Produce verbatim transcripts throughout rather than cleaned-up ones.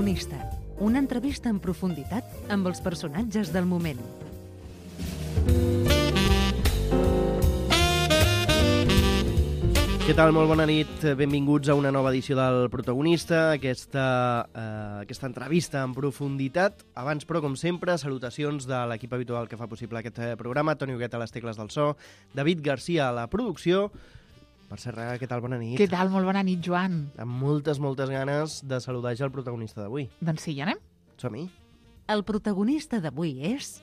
protagonista, una entrevista en profunditat amb els personatges del moment. Què tal? Molt bona nit. Benvinguts a una nova edició del Protagonista, aquesta, eh, aquesta entrevista en profunditat. Abans, però, com sempre, salutacions de l'equip habitual que fa possible aquest programa. Toni Huguet a les tecles del so, David Garcia a la producció. Per Serra, què tal? Bona nit. Què tal? Molt bona nit, Joan. Amb moltes, moltes ganes de saludar ja el protagonista d'avui. Doncs sí, ja anem. Som-hi. El protagonista d'avui és...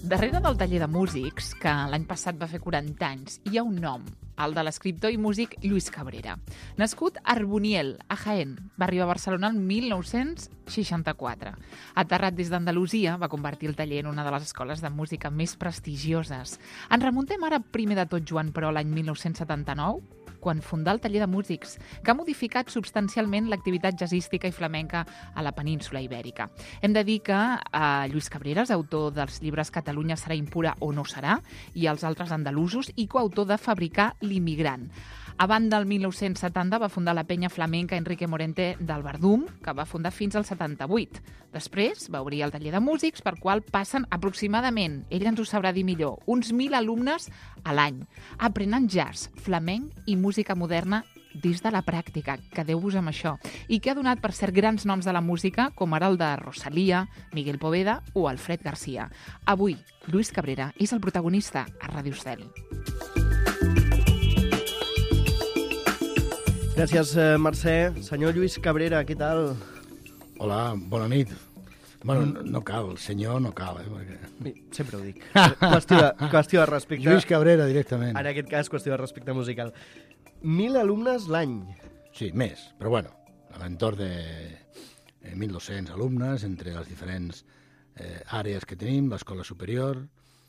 Darrere del taller de músics, que l'any passat va fer quaranta anys, hi ha un nom, el de l'escriptor i músic Lluís Cabrera. Nascut a Arboniel, a Jaén, va arribar a Barcelona el mil nou-cents seixanta-quatre. Aterrat des d'Andalusia, va convertir el taller en una de les escoles de música més prestigioses. Ens remuntem ara primer de tot, Joan, però l'any mil nou-cents setanta-nou, quan fundà el taller de músics, que ha modificat substancialment l'activitat jazzística i flamenca a la península Ibèrica. Hem de dir que eh, Lluís Cabrera és autor dels llibres Catalunya serà impura o no serà, i els altres andalusos, i coautor de Fabricar l'immigrant. A banda, el mil nou-cents setanta va fundar la penya flamenca Enrique Morente del Verdum, que va fundar fins al setanta-vuit. Després va obrir el taller de músics, per qual passen aproximadament, ell ens ho sabrà dir millor, uns mil alumnes a l'any, aprenent jazz, flamenc i música moderna des de la pràctica, quedeu-vos amb això, i que ha donat per cert grans noms de la música, com ara el de Rosalía, Miguel Poveda o Alfred Garcia. Avui, Lluís Cabrera és el protagonista a Ràdio Estel. Gràcies, Mercè. Senyor Lluís Cabrera, què tal? Hola, bona nit. Bueno, no, no cal, senyor no cal, eh? Perquè... Sempre ho dic. Qüestió de, qüestió de respecte. Lluís Cabrera, directament. En aquest cas, qüestió de respecte musical. Mil alumnes l'any. Sí, més, però bueno, a l'entorn de mil dos-cents alumnes entre les diferents eh, àrees que tenim, l'escola superior,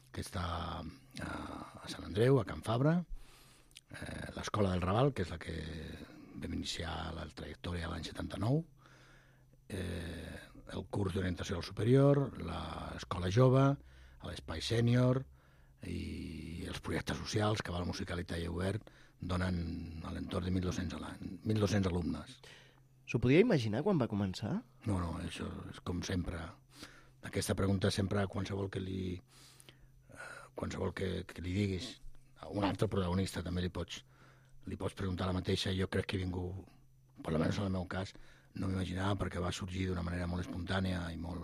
que està a, a Sant Andreu, a Can Fabra, eh, l'escola del Raval, que és la que vam iniciar la trajectòria l'any setanta-nou, eh, el curs d'orientació al superior, l'escola jove, l'espai sènior i els projectes socials que va a la musicalitat i obert donen a l'entorn de mil dos-cents mil dos-cents alumnes. S'ho podia imaginar quan va començar? No, no, això és com sempre. Aquesta pregunta sempre, qualsevol que li, qualsevol que, que li diguis a un altre protagonista també li pots, li pots preguntar la mateixa. Jo crec que ningú, per almenys en el meu cas, no m'imaginava, perquè va sorgir d'una manera molt espontània i molt,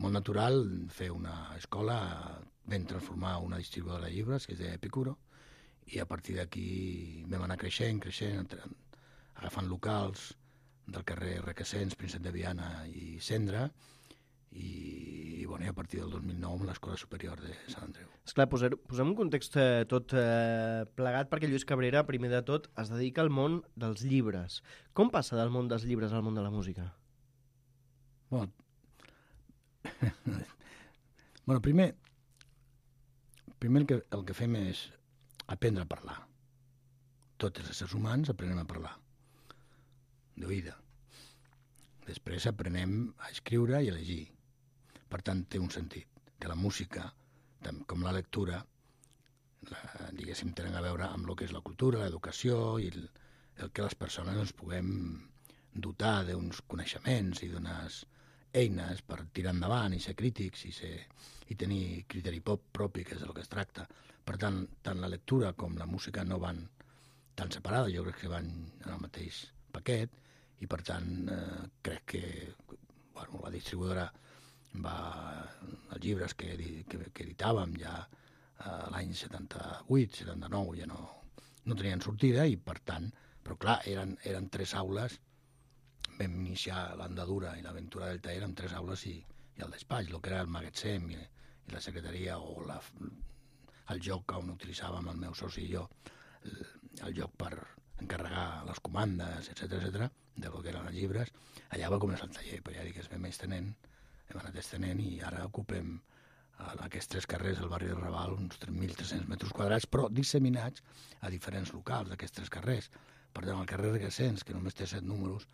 molt natural fer una escola, vam transformar una distribuïdora de llibres, que és d'Epicuro, i a partir d'aquí vam anar creixent, creixent, agafant locals del carrer Requesens, Príncep de Viana i Cendra, i, i, bueno, i a partir del dos mil nou amb l'Escola Superior de Sant Andreu. Esclar, posem, posem un context eh, tot eh, plegat, perquè Lluís Cabrera, primer de tot, es dedica al món dels llibres. Com passa del món dels llibres al món de la música? Bueno, bueno primer, primer el, que, el que fem és aprendre a parlar. Tots els éssers humans aprenem a parlar, d'oïda. Després aprenem a escriure i a llegir. Per tant, té un sentit. Que la música, com la lectura, la, diguéssim, tenen a veure amb el que és la cultura, l'educació i el, el que les persones ens puguem dotar d'uns coneixements i d'unes eines per tirar endavant i ser crítics i, ser, i tenir criteri pop propi, que és del que es tracta. Per tant, tant la lectura com la música no van tan separades, jo crec que van en el mateix paquet, i per tant eh, crec que bueno, la distribuïdora va, els llibres que, que, que editàvem ja eh, l'any setanta-vuit, setanta-nou ja no, no tenien sortida, i per tant, però clar, eren, eren tres aules, vam iniciar l'andadura i l'aventura del taller amb tres aules i, i el despatx, el que era el magatzem i, i la secretaria o la, el joc on utilitzàvem el meu soci i jo, el, el joc per encarregar les comandes, etcètera, etcètera, del que eren els llibres. Allà va començar el taller, però ja dic que es vam estenent, hem anat estenent i ara ocupem a aquests tres carrers del barri de Raval uns mil tres-cents metres quadrats, però disseminats a diferents locals d'aquests tres carrers. Per tant, el carrer Requesens, que només té set números,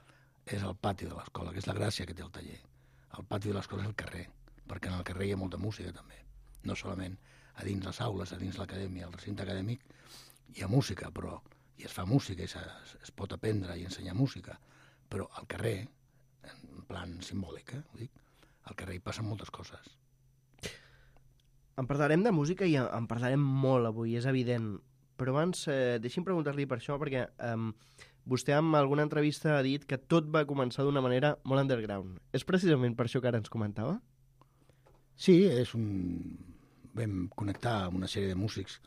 és el pati de l'escola, que és la gràcia que té el taller. El pati de l'escola és el carrer, perquè en el carrer hi ha molta música també, no solament a dins les aules, a dins l'acadèmia, al recinte acadèmic, hi ha música, però i es fa música, i es, es pot aprendre i ensenyar música, però al carrer, en plan simbòlic, eh, ho dic, al carrer hi passen moltes coses. En parlarem de música i en parlarem molt avui, és evident, però abans eh, deixi'm preguntar-li per això, perquè eh, vostè en alguna entrevista ha dit que tot va començar d'una manera molt underground. És precisament per això que ara ens comentava? Sí, és un... vam connectar amb una sèrie de músics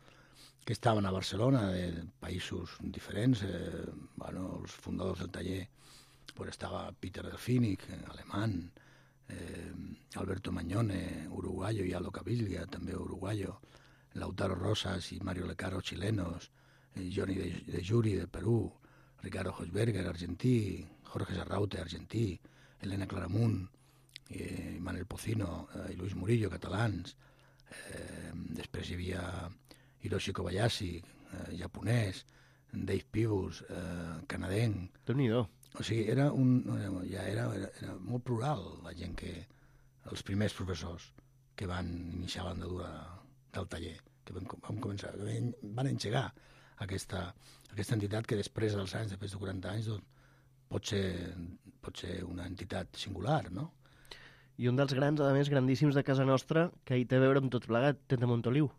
que estaven a Barcelona, de països diferents. Eh, bueno, els fundadors del taller pues, estava Peter Delfínic, alemany, eh, Alberto Mañone, uruguayo, y Aldo Caviglia, també uruguayo, Lautaro Rosas y Mario Lecaro, chilenos, eh, Johnny de, de Juri, de Perú, Ricardo Hochberger, argentí, Jorge Sarraute, argentí, Elena Claramunt, eh, Manuel Pocino eh, i Luis Murillo, catalans. Eh, després hi havia Hiroshi Kobayashi, eh, japonès, Dave Pibus, eh, canadenc. Déu-n'hi-do. O sigui, era un, ja era, era, era molt plural la gent que... els primers professors que van iniciar l'andadura del taller, que van, van començar, que van engegar aquesta, aquesta entitat que després dels anys, després de quaranta anys, doncs, pot ser, pot ser una entitat singular, no? I un dels grans, a més, grandíssims de casa nostra, que hi té a veure amb tot plegat, Tete Montoliu.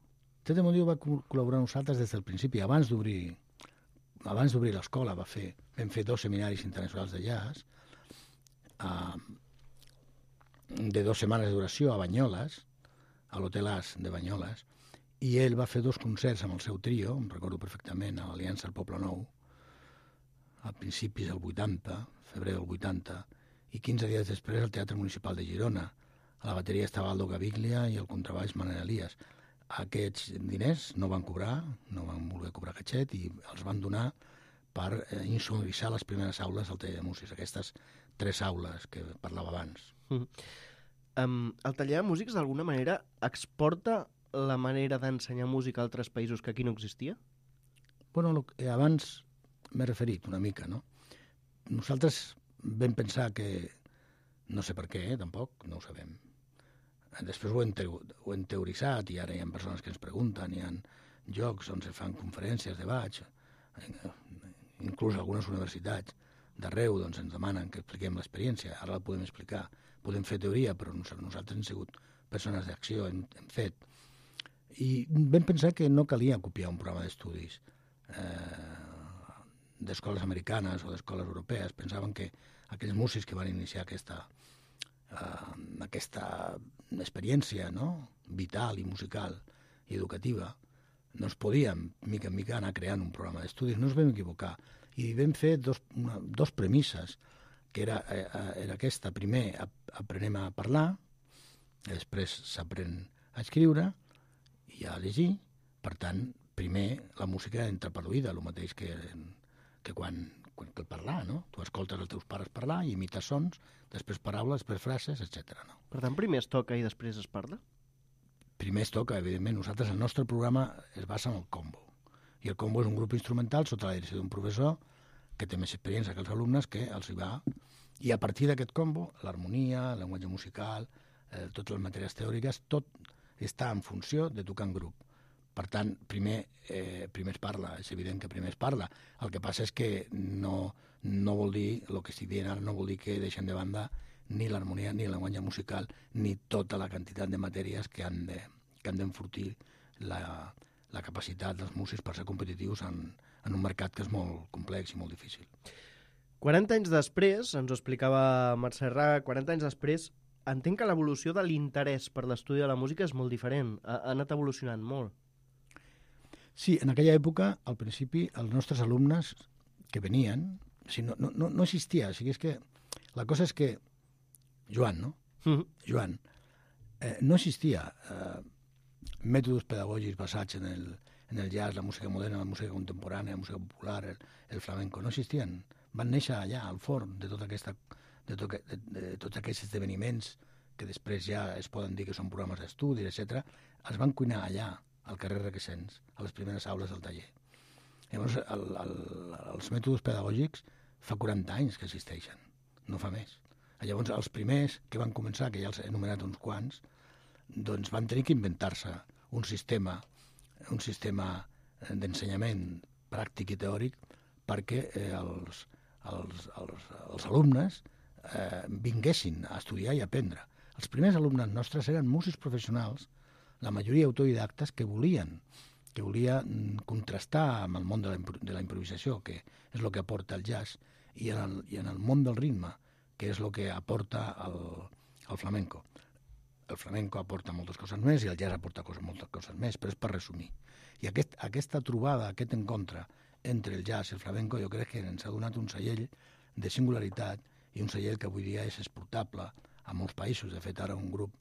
Tete Montoliu va col·laborar amb nosaltres des del principi, abans d'obrir abans d'obrir l'escola, va fer, vam fer dos seminaris internacionals de jazz, uh, de dues setmanes de duració a Banyoles, a l'Hotel As de Banyoles, i ell va fer dos concerts amb el seu trio, em recordo perfectament, a l'Aliança al Poble Nou, a principis del vuitanta, febrer del vuitanta, i quinze dies després al Teatre Municipal de Girona. A la bateria estava Aldo Caviglia i al contrabaix Manel Elias. Aquests diners no van cobrar, no van voler cobrar catxet i els van donar per eh, insonoritzar les primeres aules del taller de músics, aquestes tres aules que parlava abans. Mm. Um, el taller de músics d'alguna manera exporta la manera d'ensenyar música a altres països que aquí no existia? Bueno, lo, eh, abans m'he referit una mica, no? Nosaltres vam pensar que, no sé per què, eh, tampoc, no ho sabem. Després ho hem, teo, ho hem teoritzat i ara hi ha persones que ens pregunten, hi ha llocs on se fan conferències, debats, inclús algunes universitats d'arreu doncs, ens demanen que expliquem l'experiència, ara la podem explicar, podem fer teoria, però nosaltres hem sigut persones d'acció, hem, hem fet. I vam pensar que no calia copiar un programa d'estudis eh, d'escoles americanes o d'escoles europees. Pensaven que aquells músics que van iniciar aquesta, eh, aquesta experiència, no?, vital i musical i educativa, no es podien, mica en mica, anar creant un programa d'estudis. No ens vam equivocar. I vam fer dos, una, dos premisses, que era, eh, era aquesta. Primer, aprenem a parlar, després s'aprèn a escriure i a llegir. Per tant, primer la música entra per l'oïda, el mateix que, que quan, quan que el parlar, no? Tu escoltes els teus pares parlar i imites sons, després paraules, després frases, etcètera. No? Per tant, primer es toca i després es parla? Primer es toca, evidentment. Nosaltres, el nostre programa es basa en el combo. I el combo és un grup instrumental sota la direcció d'un professor que té més experiència que els alumnes, que els hi va... I a partir d'aquest combo, l'harmonia, el llenguatge musical, eh, totes les matèries teòriques, tot està en funció de tocar en grup. Per tant, primer, eh, primer es parla, és evident que primer es parla. El que passa és que no, no vol dir, el que estic dient ara, no vol dir que deixen de banda ni l'harmonia, ni el llenguatge musical, ni tota la quantitat de matèries que han de, que han d'enfortir la, la capacitat dels músics per ser competitius en, en un mercat que és molt complex i molt difícil. quaranta anys després, ens ho explicava Mercè Raga, quaranta anys després, entenc que l'evolució de l'interès per l'estudi de la música és molt diferent, ha, ha anat evolucionant molt. Sí, en aquella època, al principi, els nostres alumnes que venien, o sigui, no, no, no existia, o sigui, és que la cosa és que Joan, no? Mm-hmm. Joan, eh, no existia eh, mètodes pedagògics basats en el, en el jazz, la música moderna, la música contemporània, la música popular, el, el flamenco, no existien. Van néixer allà, al forn, de, tota aquesta, de, to, de, de, de tots aquests esdeveniments que després ja es poden dir que són programes d'estudi, etcètera, els van cuinar allà, al carrer Requesens, a les primeres aules del taller. Llavors, el, el, els mètodes pedagògics fa quaranta anys que existeixen, no fa més. Llavors, els primers que van començar, que ja els he enumerat uns quants, doncs van tenir que inventar-se un sistema, un sistema d'ensenyament pràctic i teòric perquè eh, els, els, els, els alumnes eh, vinguessin a estudiar i a aprendre. Els primers alumnes nostres eren músics professionals, la majoria autodidactes, que volien que volia contrastar amb el món de la, de la improvisació, que és el que aporta el jazz, i en el, i en el món del ritme, que és el que aporta el, el flamenco. El flamenco aporta moltes coses més i el jazz aporta coses, moltes coses més, però és per resumir. I aquest, aquesta trobada, aquest encontre entre el jazz i el flamenco, jo crec que ens ha donat un cellell de singularitat i un cellell que avui dia és exportable a molts països. De fet, ara un grup,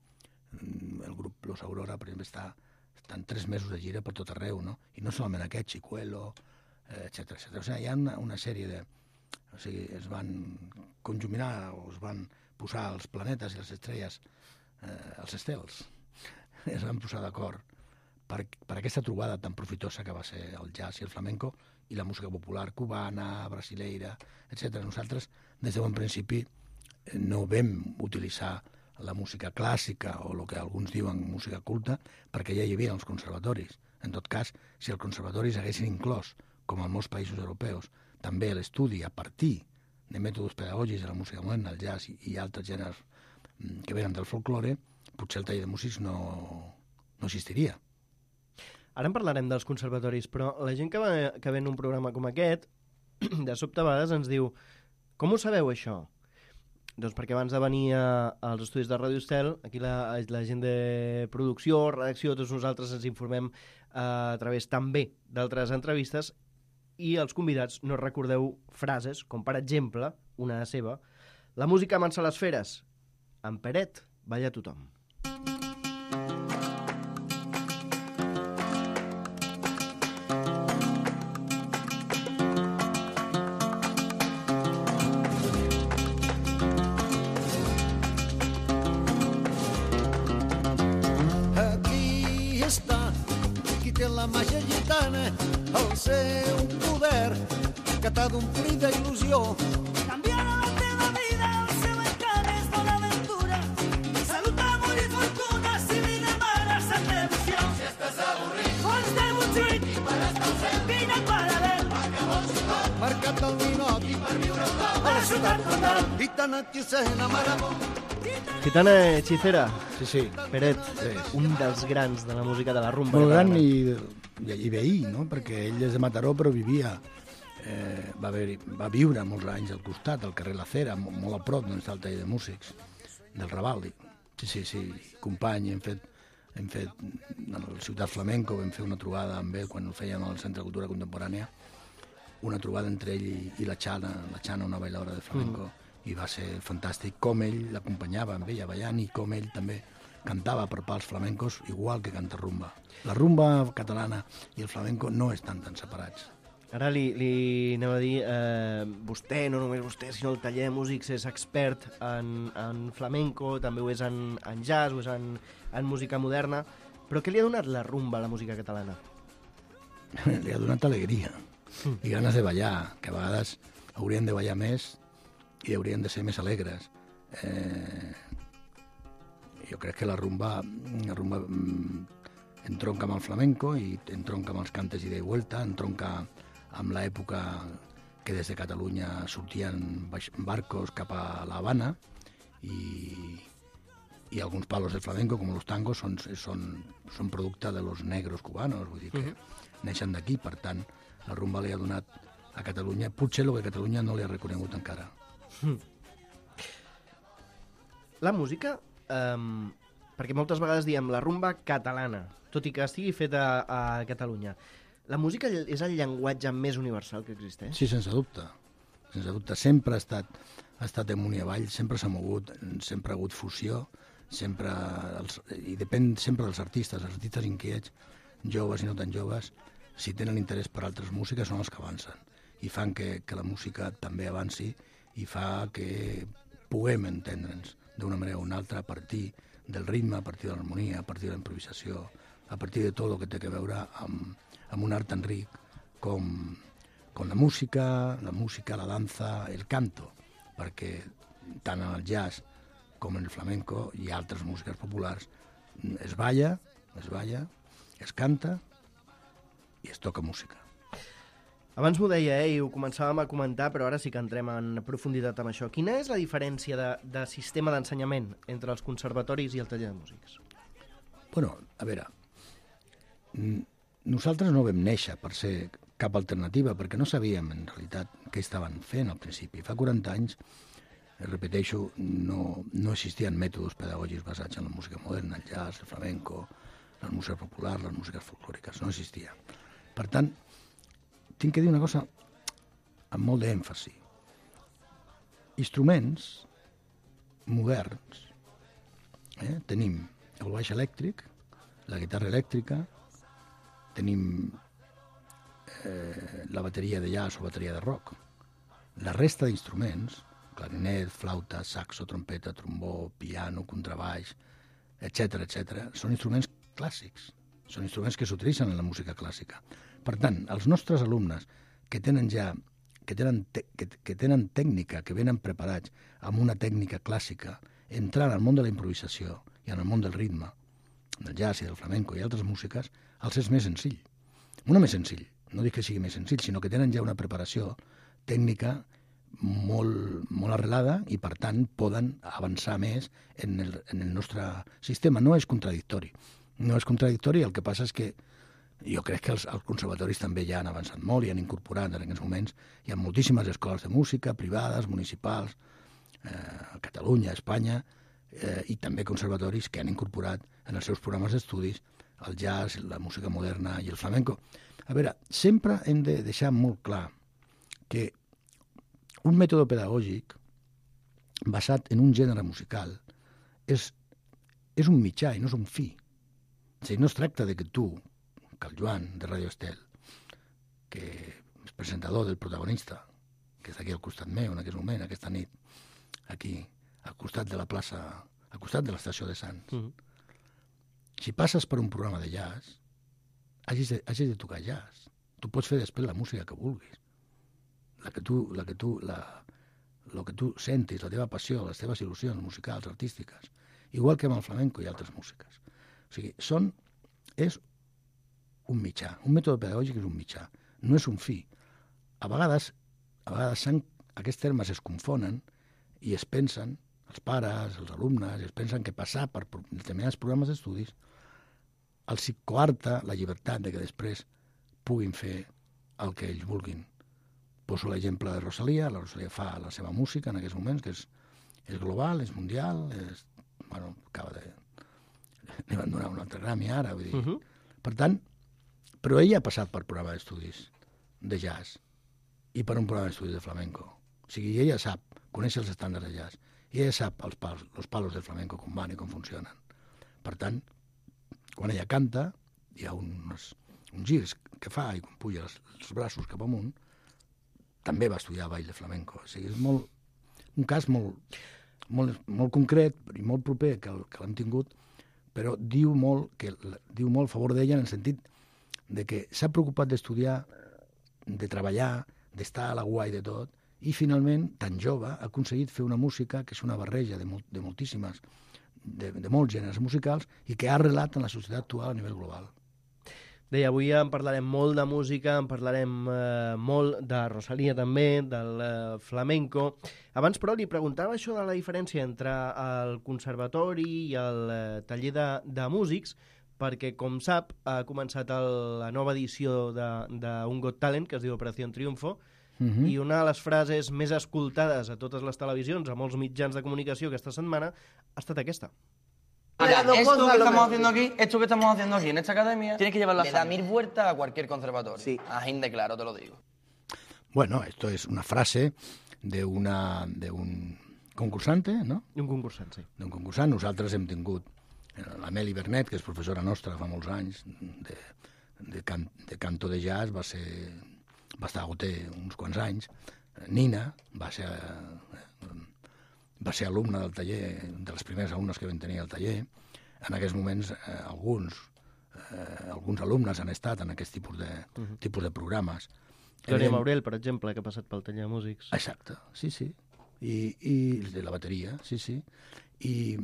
el grup Los Aurora, per exemple, està estan tres mesos de gira per tot arreu, no? I no solament aquest, Chicuelo, etcètera, etcètera. O sigui, hi ha una, una sèrie de... O sigui, es van conjuminar o es van posar els planetes i les estrelles, eh, els estels, es van posar d'acord per, per aquesta trobada tan profitosa que va ser el jazz i el flamenco i la música popular cubana, brasileira, etcètera. Nosaltres, des de bon principi, no vam utilitzar la música clàssica o el que alguns diuen música culta, perquè ja hi havia els conservatoris. En tot cas, si els conservatoris haguessin inclòs, com en molts països europeus, també l'estudi a partir de mètodes pedagògics de la música moderna, el jazz i, i altres gèneres que venen del folklore, potser el taller de músics no, no existiria. Ara en parlarem dels conservatoris, però la gent que, va, que ve en un programa com aquest, de sobte a vegades ens diu: com ho sabeu, això? Doncs perquè abans de venir a, als estudis de Ràdio Estel, aquí la, la gent de producció, redacció, tots nosaltres ens informem eh, a través també d'altres entrevistes, i els convidats no recordeu frases, com per exemple, una seva: la música amansa les feres, en Peret balla tothom. Seu poder que t'ha d'omplir d'il·lusió. Canviarà la teva vida, el seu encant és bona aventura. Salut, amor i fortuna, si li demanes amb devoció. Si estàs avorrit, fons de Montjuïc, i per estar al cel, vine al paral·lel. Mercat del Ninot, i per viure al top, a la ciutat condal. Gitana, hechicera, marabó. Gitana hechicera, sí, sí. Peret, sí. Un dels grans de la música de la rumba. Molt gran i, i, i veí, no? Perquè ell és de Mataró però vivia, eh, va, haver, va viure molts anys al costat, al carrer La Cera, molt a prop d'on està el taller de músics, del Raval. Sí, sí, sí, company, hem fet, hem fet a la Ciutat Flamenco, vam fer una trobada amb ell quan ho fèiem al Centre de Cultura Contemporània, una trobada entre ell i, i la Xana, la Xana, una bailadora de flamenco, mm. i va ser fantàstic com ell l'acompanyava amb ella ballant i com ell també cantava per pals flamencos igual que canta rumba. La rumba catalana i el flamenco no estan tan separats. Ara li, li anem a dir, eh, vostè, no només vostè, sinó el taller de músics és expert en, en flamenco, també ho és en, en jazz, ho és en, en música moderna, però què li ha donat la rumba a la música catalana? Li ha donat alegria mm. i ganes de ballar, que a vegades haurien de ballar més i haurien de ser més alegres. Eh, jo crec que la rumba, la rumba entronca amb el flamenco i entronca amb els cantes ida i vuelta, entronca amb l'època que des de Catalunya sortien barcos cap a La Habana i, i alguns palos del flamenco, com els tangos, són, són, són producte de los negros cubanos, vull dir que uh-huh. neixen d'aquí, per tant, la rumba li ha donat a Catalunya, potser el que Catalunya no li ha reconegut encara. Mm. La música, um, perquè moltes vegades diem la rumba catalana, tot i que estigui feta a, a Catalunya. La música és el llenguatge més universal que existeix? Sí, sense dubte. Sense dubte. Sempre ha estat, ha estat amunt i avall, sempre s'ha mogut, sempre ha hagut fusió, sempre els, i depèn sempre dels artistes. Els artistes inquiets, joves i no tan joves, si tenen interès per altres músiques, són els que avancen. I fan que, que la música també avanci i fa que puguem entendre'ns d'una manera o una altra a partir del ritme, a partir de l'harmonia, a partir de la improvisació, a partir de tot el que té a veure amb, amb un art tan ric com, com la música, la música, la dansa, el canto, perquè tant en el jazz com en el flamenco i altres músiques populars es balla, es balla es canta i es toca música. Abans m'ho deia, eh, i ho començàvem a comentar, però ara sí que entrem en profunditat amb això. Quina és la diferència de, de sistema d'ensenyament entre els conservatoris i el taller de músics? Bueno, a veure, nosaltres no vam néixer per ser cap alternativa, perquè no sabíem, en realitat, què estaven fent al principi. Fa quaranta anys, repeteixo, no, no existien mètodes pedagògics basats en la música moderna, el jazz, el flamenco, la música popular, les músiques folclòriques, no existia. Per tant, tinc que dir una cosa amb molt d'èmfasi. Instruments moderns, eh? Tenim el baix elèctric, la guitarra elèctrica, tenim eh, la bateria de jazz o bateria de rock. La resta d'instruments, clarinet, flauta, saxo, trompeta, trombó, piano, contrabaix, etcètera, etcètera, són instruments clàssics, són instruments que s'utilitzen en la música clàssica. Per tant, els nostres alumnes que tenen ja que tenen, te, que, que tenen tècnica, que venen preparats amb una tècnica clàssica, entrant al món de la improvisació i en el món del ritme, del jazz i del flamenco i altres músiques, els és més senzill. No més senzill, no dic que sigui més senzill, sinó que tenen ja una preparació tècnica molt, molt arrelada i, per tant, poden avançar més en el, en el nostre sistema. No és contradictori. No és contradictori, el que passa és que jo crec que els, els conservatoris també ja han avançat molt i han incorporat en aquests moments. Hi ha moltíssimes escoles de música, privades, municipals, eh, a Catalunya, a Espanya, eh, i també conservatoris que han incorporat en els seus programes d'estudis el jazz, la música moderna i el flamenco. A veure, sempre hem de deixar molt clar que un mètode pedagògic basat en un gènere musical és, és un mitjà i no és un fi. O sigui, no es tracta de que tu, que el Joan, de Radio Estel, que és presentador del protagonista, que està aquí al costat meu en aquest moment, aquesta nit, aquí, al costat de la plaça, al costat de l'estació de Sants. Mm -hmm. Si passes per un programa de jazz, hagis de, hagis de tocar jazz. Tu pots fer després la música que vulguis. La que tu, la que tu, la, lo que tu sentis, la teva passió, les teves il·lusions musicals, artístiques, igual que amb el flamenco i altres músiques. O sigui, són, és un mitjà. Un mètode pedagògic és un mitjà, no és un fi. A vegades, a vegades aquests termes es confonen i es pensen, els pares, els alumnes, es pensen que passar per determinats programes d'estudis els coarta la llibertat de que després puguin fer el que ells vulguin. Poso l'exemple de Rosalía. La Rosalía fa la seva música en aquests moments, que és, és global, és mundial, és, bueno, acaba de... li van donar un altre Grammy ara, vull dir. Uh -huh. Per tant, però ella ha passat per programa d'estudis de jazz i per un programa d'estudis de flamenco. O sigui, ella sap, coneix els estàndards de jazz, i ella sap els palos, els palos del flamenco com van i com funcionen. Per tant, quan ella canta, hi ha uns, uns girs que fa i quan puja els, els braços cap amunt, també va estudiar ball de flamenco. O sigui, és molt, un cas molt, molt, molt concret i molt proper que, que l'hem tingut, però diu molt, que, diu molt a favor d'ella en el sentit de que s'ha preocupat d'estudiar, de treballar, d'estar a la guai de tot, i finalment, tan jove, ha aconseguit fer una música que és una barreja de, molt, de moltíssimes, de, de molts gèneres musicals i que ha arrelat en la societat actual a nivell global. Deia, avui en parlarem molt de música, en parlarem eh, molt de Rosalía també, del eh, flamenco. Abans, però, li preguntava això de la diferència entre el conservatori i el eh, taller de, de músics, perquè, com sap, ha començat el, la nova edició d'un Got Talent, que es diu Operació Triunfo, uh-huh. i una de les frases més escoltades a totes les televisions, a molts mitjans de comunicació aquesta setmana, ha estat aquesta. Mira, esto que estamos haciendo aquí, esto que estamos haciendo aquí en esta academia, tienes que llevarla le da mil vueltas a cualquier conservatorio. Sí. Ajín de claro, te lo digo. Bueno, esto es una frase de, una, de un concursante, ¿no? Un concursant, sí. D'un concursant. Nosaltres hem tingut l'Ameli Bernet, que és professora nostra fa molts anys, de, de, can, de canto de jazz, va ser, va estar a O T uns quants anys. Nina va ser... va ser alumne del taller, de les primeres alumnes que vam tenir al taller. En aquests moments, eh, alguns, eh, alguns alumnes han estat en aquest tipus de, uh -huh. tipus de programes. Glòria Maurel, per exemple, que ha passat pel taller de músics. Exacte, sí, sí. I, i de la bateria, sí, sí. I,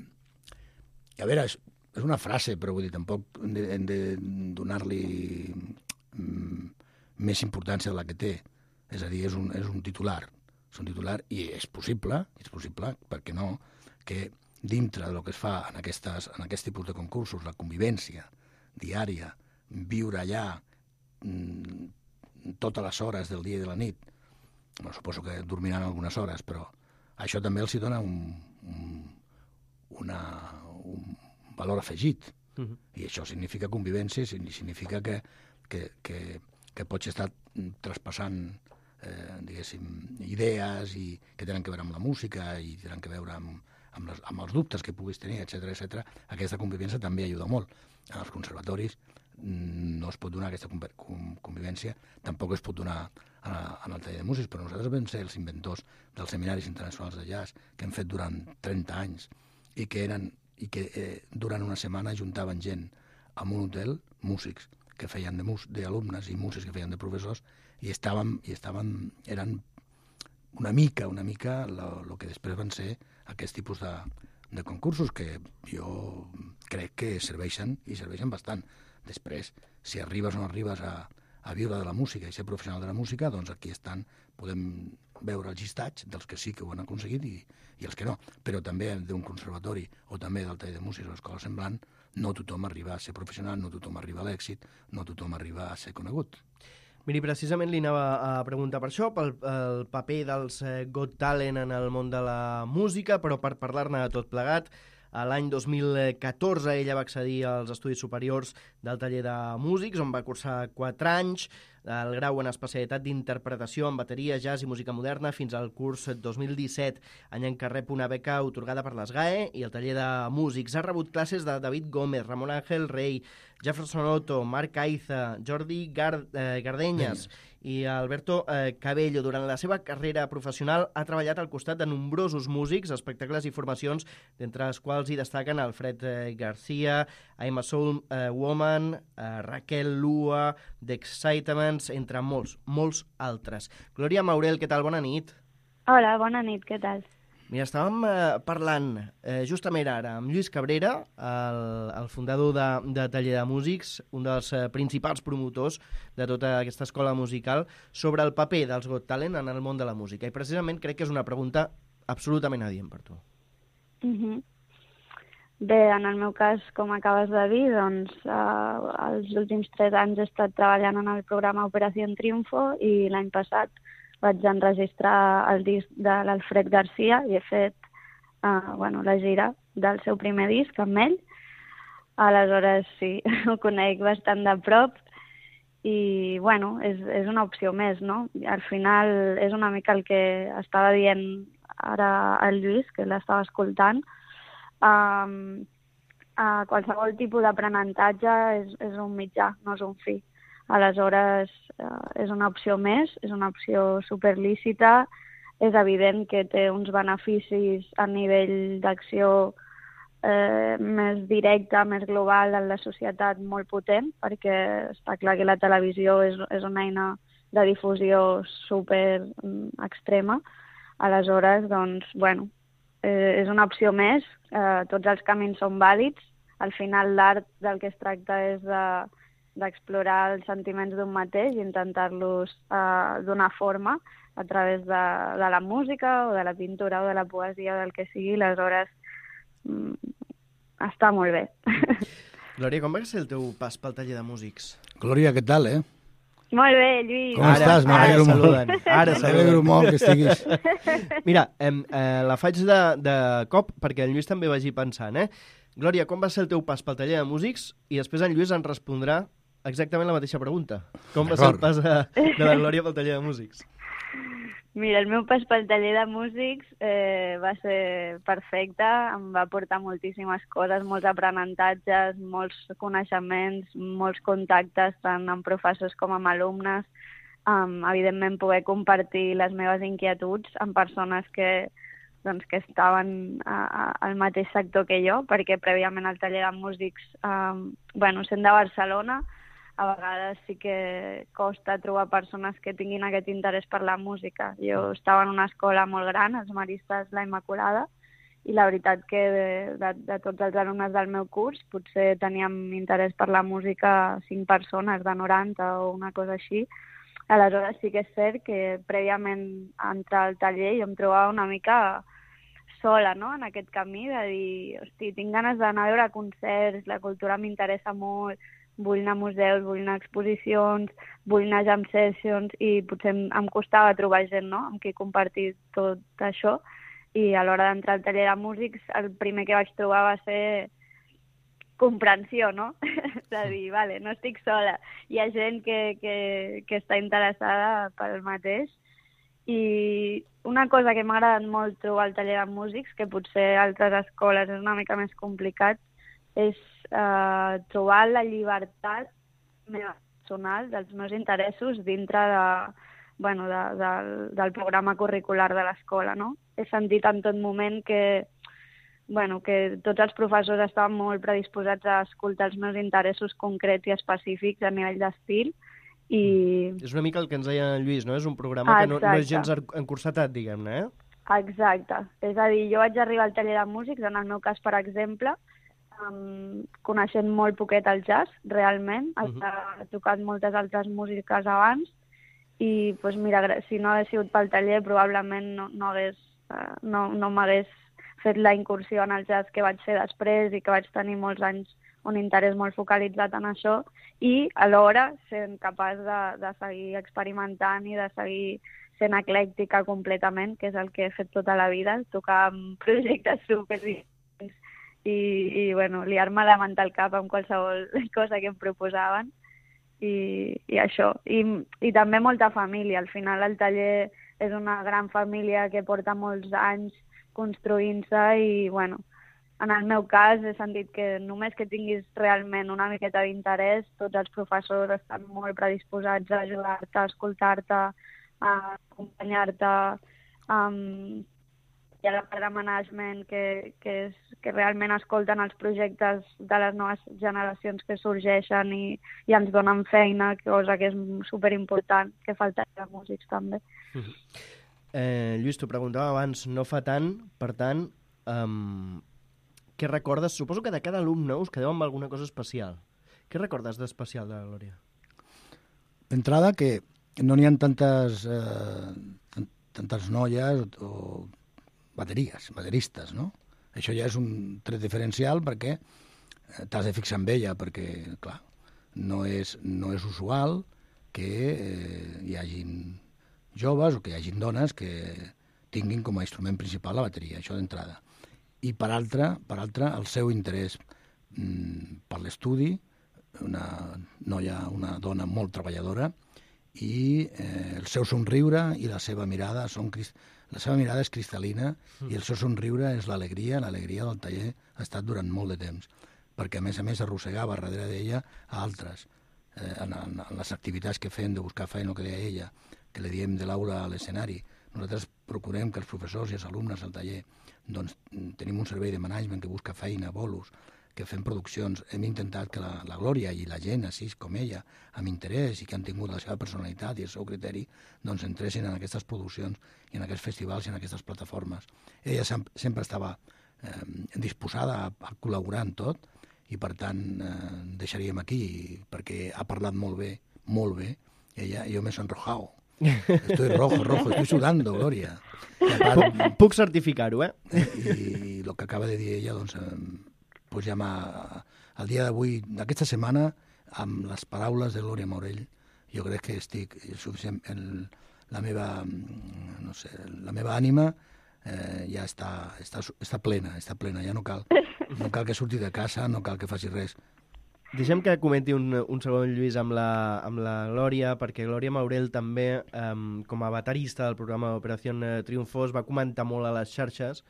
i a veure, és una frase, però vull dir, tampoc hem de, hem de donar-li mm, més importància de la que té. És a dir, és un, és un titular. És un titular i és possible, és possible, per què no, que dintre del que es fa en, aquestes, en aquest tipus de concursos, la convivència diària, viure allà mm, totes les hores del dia i de la nit, bueno, suposo que dormiran algunes hores, però això també els hi dona un, un, una, un valor afegit. Uh-huh. I això significa convivència, significa que, que, que, que pots estar traspassant eh, diguéssim, idees i que tenen que veure amb la música i tenen que veure amb, amb, les, amb els dubtes que puguis tenir, etcètera, etcètera. Aquesta convivència també ajuda molt. En els conservatoris no es pot donar aquesta convivència, tampoc es pot donar en el taller de músics, però nosaltres vam ser els inventors dels seminaris internacionals de jazz que hem fet durant trenta anys i que, eren, i que eh, durant una setmana juntaven gent en un hotel, músics que feien de mus, d'alumnes i músics que feien de professors i estàvem, i estàvem eren una mica, una mica el que després van ser aquest tipus de, de concursos que jo crec que serveixen i serveixen bastant. Després, si arribes o no arribes a, a viure de la música i ser professional de la música, doncs aquí estan, podem veure els llistats dels que sí que ho han aconseguit i, i els que no. Però també d'un conservatori o també del taller de músics o escola semblant, no tothom arriba a ser professional, no tothom arriba a l'èxit, no tothom arriba a ser conegut. Miri, precisament li anava a preguntar per això, pel el paper dels Got Talent en el món de la música, però per parlar-ne de tot plegat, l'any dos mil catorze ella va accedir als estudis superiors del taller de músics, on va cursar quatre anys, el grau en especialitat d'interpretació en bateria, jazz i música moderna fins al curs dos mil disset, any en què rep una beca otorgada per l'ESGAE i el taller de músics. Ha rebut classes de David Gómez, Ramon Ángel Rey, Jefferson Otto, Marc Aiza, Jordi Gard, eh, Gardenyes i Alberto eh, Cabello. Durant la seva carrera professional ha treballat al costat de nombrosos músics, espectacles i formacions, d'entre els quals hi destaquen Alfred eh, Garcia, I'm a Soul eh, Woman, eh, Raquel Lua, The Excitements, entre molts, molts altres. Glòria Maurel, què tal? Bona nit. Hola, bona nit, què tal? Mira, estàvem eh, parlant eh, justament ara amb Lluís Cabrera, el, el fundador de, de Taller de Músics, un dels eh, principals promotors de tota aquesta escola musical, sobre el paper dels Got Talent en el món de la música. I precisament crec que és una pregunta absolutament adient per tu. Uh-huh. Bé, en el meu cas, com acabes de dir, doncs eh, els últims tres anys he estat treballant en el programa Operació Triunfo i l'any passat vaig enregistrar el disc de l'Alfred Garcia i he fet uh, bueno, la gira del seu primer disc amb ell. Aleshores, sí, ho conec bastant de prop i, bueno, és, és una opció més, no? Al final és una mica el que estava dient ara el Lluís, que l'estava escoltant. Um, uh, qualsevol tipus d'aprenentatge és, és un mitjà, no és un fi. Aleshores, eh, és una opció més, és una opció superlícita, és evident que té uns beneficis a nivell d'acció eh, més directa, més global en la societat molt potent, perquè està clar que la televisió és, és una eina de difusió super extrema. Aleshores, doncs, bueno, eh, és una opció més, eh, tots els camins són vàlids, al final l'art del que es tracta és de d'explorar els sentiments d'un mateix i intentar-los eh, donar forma a través de, de la música o de la pintura o de la poesia o del que sigui. Aleshores, mm, està molt bé. Glòria, com va ser el teu pas pel taller de músics? Glòria, què tal, eh? Molt bé, Lluís. Com ara, estàs? M'alegro molt. Saluden. Ara m'alegro molt que estiguis. Mira, eh, eh, la faig de, de cop perquè el Lluís també vagi pensant, eh? Glòria, com va ser el teu pas pel taller de músics? I després en Lluís en respondrà exactament la mateixa pregunta. Com va ser el pas de, de la Glòria pel taller de músics? Mira, el meu pas pel taller de músics eh, va ser perfecte, em va portar moltíssimes coses, molts aprenentatges, molts coneixements, molts contactes, tant amb professors com amb alumnes, um, evidentment poder compartir les meves inquietuds amb persones que, doncs, que estaven a, a, al mateix sector que jo, perquè prèviament al taller de músics, um, bueno, sent de Barcelona, a vegades sí que costa trobar persones que tinguin aquest interès per la música. Jo estava en una escola molt gran, els Maristes La Immaculada, i la veritat que de, de, de tots els alumnes del meu curs potser teníem interès per la música cinc persones de noranta o una cosa així. Aleshores sí que és cert que prèviament a entrar al taller jo em trobava una mica sola, no?, en aquest camí de dir, hosti, tinc ganes d'anar a veure concerts, la cultura m'interessa molt, vull anar a museus, vull anar a exposicions, vull anar a jam sessions, i potser em, em costava trobar gent, no?, amb qui compartir tot això, i a l'hora d'entrar al taller de músics el primer que vaig trobar va ser comprensió, no? De dir, vale, no estic sola, hi ha gent que, que, que està interessada pel mateix. I una cosa que m'ha agradat molt trobar al taller de músics, que potser a altres escoles és una mica més complicat, és eh, trobar la llibertat meva personal dels meus interessos dintre de, bueno, de, de, del programa curricular de l'escola, no? He sentit en tot moment que, bueno, que tots els professors estaven molt predisposats a escoltar els meus interessos concrets i específics a nivell d'estil. I... És una mica el que ens deia en Lluís, no? És un programa ah, que no, no és gens encursetat, diguem-ne, eh? Exacte. És a dir, jo vaig arribar al taller de músics, en el meu cas, per exemple, um, coneixent molt poquet el jazz, realment. Uh -huh. He tocat moltes altres músiques abans i, doncs mira, si no hagués sigut pel taller, probablement no, no, hagués, uh, no, no m'hagués fet la incursió en el jazz que vaig fer després i que vaig tenir molts anys un interès molt focalitzat en això, i alhora sent capaç de, de seguir experimentant i de seguir sent eclèctica completament, que és el que he fet tota la vida, tocar amb projectes super diferents i, i bueno, liar-me la manta al cap amb qualsevol cosa que em proposaven, i, i això. I, I també molta família. Al final el taller és una gran família que porta molts anys construint-se i, bueno, en el meu cas he sentit que només que tinguis realment una miqueta d'interès, tots els professors estan molt predisposats a ajudar-te, a escoltar-te, a acompanyar-te. Um, hi ha la part de management que, que, és, que realment escolten els projectes de les noves generacions que sorgeixen i, i ens donen feina, cosa que és superimportant, que falta de músics també. Mm-hmm. eh, Lluís, t'ho preguntava abans, no fa tant, per tant... Um... Què recordes? Suposo que de cada alumne us quedeu amb alguna cosa especial. Què recordes d'especial de la Glòria? D'entrada, que no n'hi ha tantes, eh, tantes noies o, o bateries, bateristes, no? Això ja és un tret diferencial perquè t'has de fixar en ella, perquè, clar, no és, no és usual que eh, hi hagin joves o que hi hagin dones que tinguin com a instrument principal la bateria, això d'entrada. I per altra, per altra, el seu interès mm, per l'estudi, una noia, una dona molt treballadora, i eh, el seu somriure i la seva mirada són la seva mirada és cristal·lina mm. i el seu somriure és l'alegria, l'alegria del taller ha estat durant molt de temps, perquè a més a més arrossegava darrere d'ella a altres, eh, en, en, en les activitats que fem de buscar feina, el que deia ella, que li diem de l'aula a l'escenari. Nosaltres procurem que els professors i els alumnes del taller doncs tenim un servei de management que busca feina, bolos, que fem produccions. Hem intentat que la, la Glòria i la gent així com ella, amb interès i que han tingut la seva personalitat i el seu criteri, doncs entressin en aquestes produccions i en aquests festivals i en aquestes plataformes. Ella sem sempre estava eh, disposada a, a col·laborar en tot i per tant eh, deixaríem aquí perquè ha parlat molt bé, molt bé, ella, jo m'he sonrojado. Estoy rojo, rojo, estoy sudando, Glòria. Puc, puc certificar-ho, eh? I el que acaba de dir ella, doncs, pues ja m'ha... El dia d'avui, d'aquesta setmana, amb les paraules de Glòria Maurell, jo crec que estic suficient... El, la meva, no sé, la meva ànima eh, ja està, està, està plena, està plena, ja no cal, no cal que surti de casa, no cal que faci res. Deixem que comenti un, un segon, Lluís, amb la, amb la Glòria, perquè Glòria Maurell també, um, com a baterista del programa Operació Triunfo, va comentar molt a les xarxes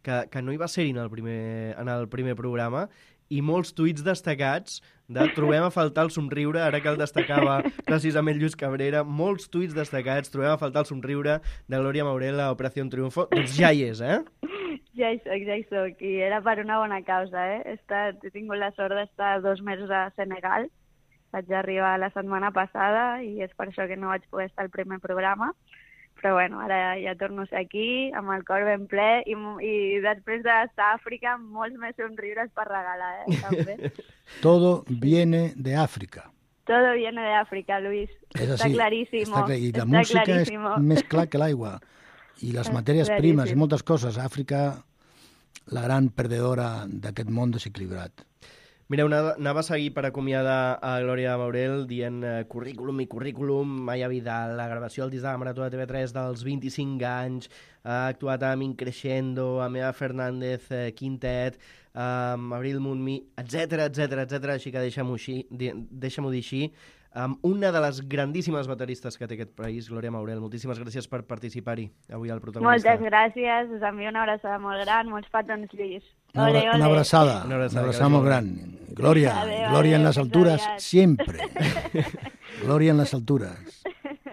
que, que no hi va ser-hi en, el primer, en el primer programa, i molts tuits destacats de trobem a faltar el somriure, ara que el destacava precisament Lluís Cabrera, molts tuits destacats, trobem a faltar el somriure de Glòria Maurell a Operació Triunfo. Doncs ja hi és, eh? Ja hi soc, ja hi soc, i era per una bona causa, eh? He, estat, he tingut la sort d'estar dos mesos a Senegal, vaig arribar la setmana passada i és per això que no vaig poder estar al primer programa, però bueno, ara ja torno a ser aquí, amb el cor ben ple, i, i després d'estar a Àfrica, molts més somriures per regalar, eh, també. Todo viene de África. Todo viene de África, Luis. Es Está así, clarísimo. Está, y la está música clarísimo. es més clar que l'aigua. I les matèries primes i moltes coses. Àfrica, la gran perdedora d'aquest món desequilibrat. Mireu, anava a seguir per acomiadar a Glòria Maurel dient eh, currículum i currículum, Maya Vidal, la gravació del disc de la Marató de T V tres dels vint-i-cinc anys, ha actuat amb Increscendo, amb Eva Fernández eh, Quintet, amb Abril Montmí, etcètera, etcètera, etcètera, així que deixem-ho deixem dir així, amb una de les grandíssimes bateristes que té aquest país, Glòria Maurel. Moltíssimes gràcies per participar-hi avui al Protagonista. Moltes gràcies, us envio una abraçada molt gran, molts petons, Lluís. Una, ole, ole. una abraçada, una abraçada, una abraçada molt gran. Glòria, adeu, Glòria adeu, en les altures, sempre. Glòria en les altures.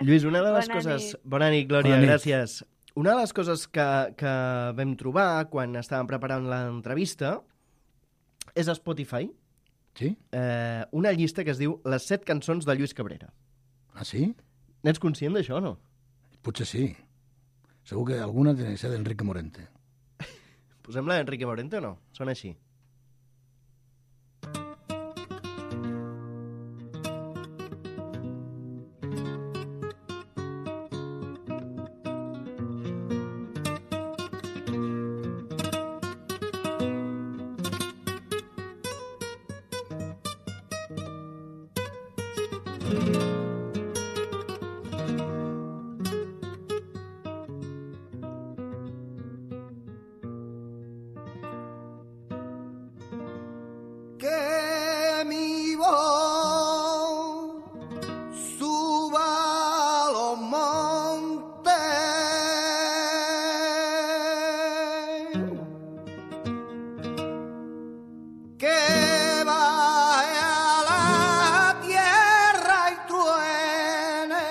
Lluís, una de les Bona coses... nit. Bona nit, Glòria, Bona nit. gràcies. Una de les coses que, que vam trobar quan estàvem preparant l'entrevista és a Spotify, sí? eh, una llista que es diu Les set cançons de Lluís Cabrera. Ah, sí? N'ets conscient d'això o no? Potser sí. Segur que alguna té que ser d'Enrique Morente. Posem-la d'Enrique Morente o no? Sona així. Que mi voz suba a los montes, que vaya a la tierra y truene.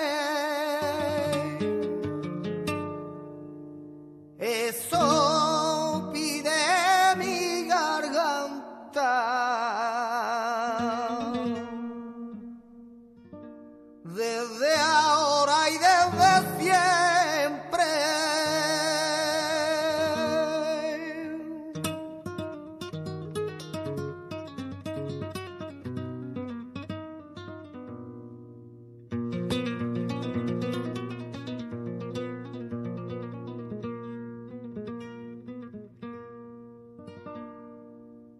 Eso pide mi garganta. Desde ahora y desde siempre.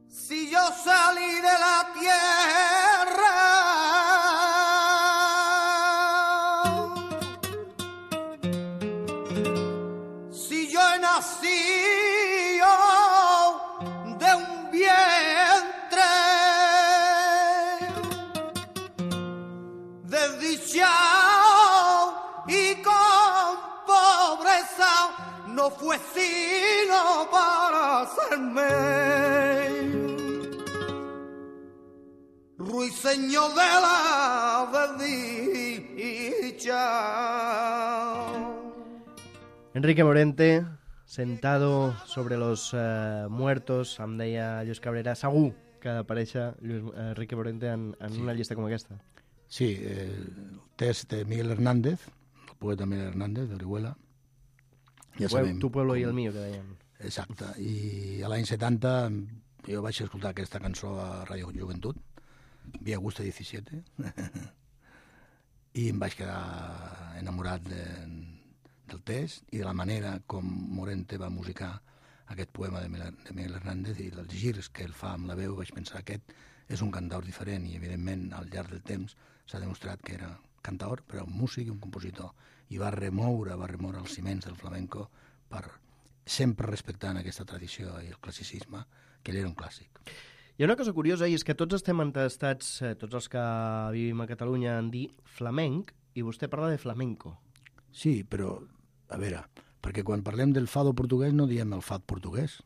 Si yo salí de la tierra, si yo he nacido de un vientre desdichado y con pobreza, no fue sino para hacerme ruiseñor de la desdicha. Enrique Morente, sentado sobre los uh, muertos, em deia Lluís Cabrera, segur que ha d'aparèixer Lluís, uh, Enrique Morente en, en sí. una llista com aquesta. Sí, eh, el test de Miguel Hernández, el poeta Miguel Hernández, d'Orihuela. Ja sabem. Tu pueblo i el mío, que deien. Exacte, i a l'any setanta jo vaig escoltar aquesta cançó a Ràdio Joventut, Via Augusta disset, i em vaig quedar enamorat de, del text i de la manera com Morente va musicar aquest poema de Miguel Hernández i els girs que ell fa amb la veu. Vaig pensar que aquest és un cantaor diferent i, evidentment, al llarg del temps s'ha demostrat que era cantaor, però un músic i un compositor, i va remoure, va remoure els ciments del flamenco per sempre respectant aquesta tradició i el classicisme, que ell era un clàssic. Hi ha una cosa curiosa, i és que tots estem entestats, eh, tots els que vivim a Catalunya, en dir flamenc, i vostè parla de flamenco. Sí, però, a veure, perquè quan parlem del fado portuguès no diem el fado portuguès.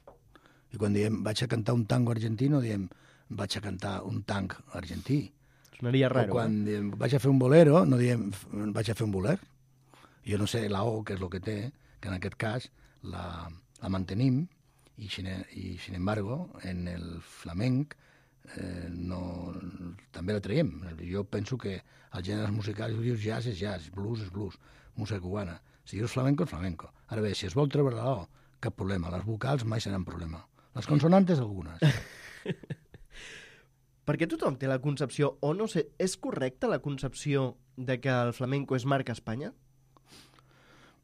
I quan diem vaig a cantar un tango argentí no diem vaig a cantar un tang argentí. Sonaria raro. O quan diem vaig a fer un bolero no diem vaig a fer un boler. Jo no sé la O què és el que té, que en aquest cas la, la mantenim, i sin, i sin embargo en el flamenc eh, no, també la traiem. Jo penso que els gèneres musicals, dius jazz és jazz, blues és blues, música cubana. Si dius flamenco, és flamenco. Ara bé, si es vol treure la O, cap problema. Les vocals mai seran problema. Les consonantes, algunes. Perquè tothom té la concepció, o no sé, és correcta la concepció de que el flamenco és marca Espanya?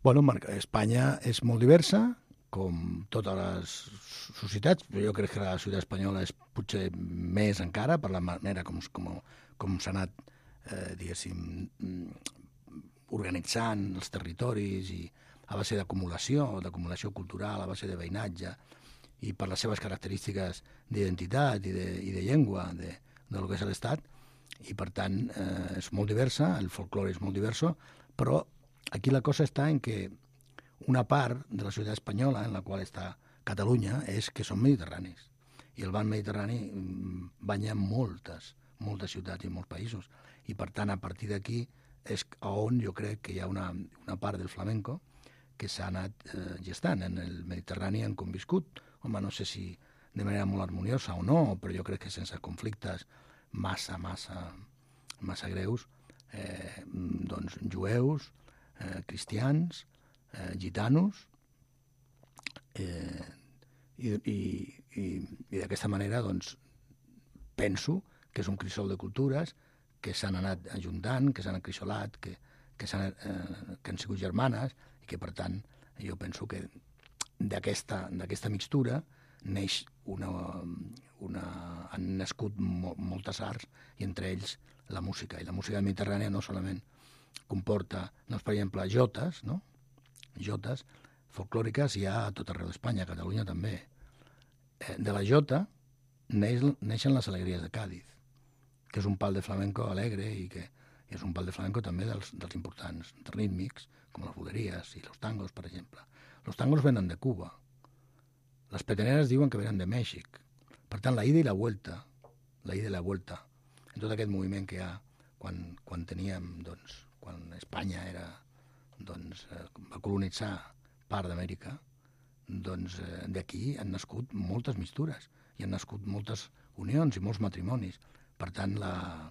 Bueno, marca Espanya és molt diversa, com totes les societats. Jo crec que la societat espanyola és potser més encara per la manera com, com, com s'ha anat, eh, diguéssim, organitzant els territoris i a base d'acumulació, d'acumulació cultural, a base de veïnatge, i per les seves característiques d'identitat i, de, i de llengua de, de lo que és l'Estat, i per tant eh, és molt diversa, el folklore és molt diverso, però aquí la cosa està en que una part de la societat espanyola, en la qual està Catalunya, és que són mediterranis, i el banc mediterrani banya moltes, moltes ciutats i molts països, i per tant a partir d'aquí és on jo crec que hi ha una, una part del flamenco que s'ha anat eh, gestant. En el Mediterrani han conviscut, home, no sé si de manera molt harmoniosa o no, però jo crec que sense conflictes massa, massa, massa greus, eh, doncs jueus, eh, cristians, eh, gitanos, eh, i, i, i, i d'aquesta manera doncs penso que és un crisol de cultures que s'han anat ajuntant, que s'han acrisolat, que, que, s'han, eh, que han sigut germanes, i que, per tant, jo penso que d'aquesta d'aquesta mixtura neix una, una... han nascut mo, moltes arts, i entre ells la música. I la música mediterrània no solament comporta, doncs, per exemple, jotes, no? Jotes folclòriques hi ha a tot arreu d'Espanya, a Catalunya també. Eh, de la jota neix, neixen les alegries de Càdiz, que és un pal de flamenco alegre i que és un pal de flamenco també dels, dels importants rítmics, com les buleries i los tangos, per exemple. Los tangos venen de Cuba. Les peteneres diuen que venen de Mèxic. Per tant, la ida i la vuelta, la ida i la vuelta, en tot aquest moviment que hi ha quan, quan teníem, doncs, quan Espanya era, doncs, eh, va colonitzar part d'Amèrica, doncs eh, d'aquí han nascut moltes mixtures i han nascut moltes unions i molts matrimonis. Per tant, la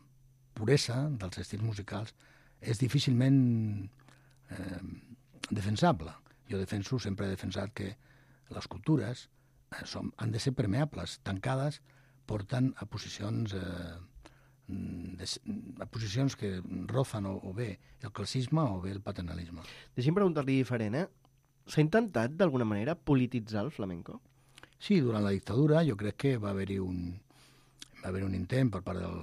puresa dels estils musicals és difícilment eh, defensable. Jo defenso, sempre he defensat que les cultures eh, som, han de ser permeables, tancades, porten a posicions, eh, de, a posicions que rofen o, o bé el classisme o bé el paternalisme. Deixi'm preguntar-li diferent, eh? S'ha intentat d'alguna manera polititzar el flamenco? Sí, durant la dictadura jo crec que va haver-hi un... va haver un intent per part del,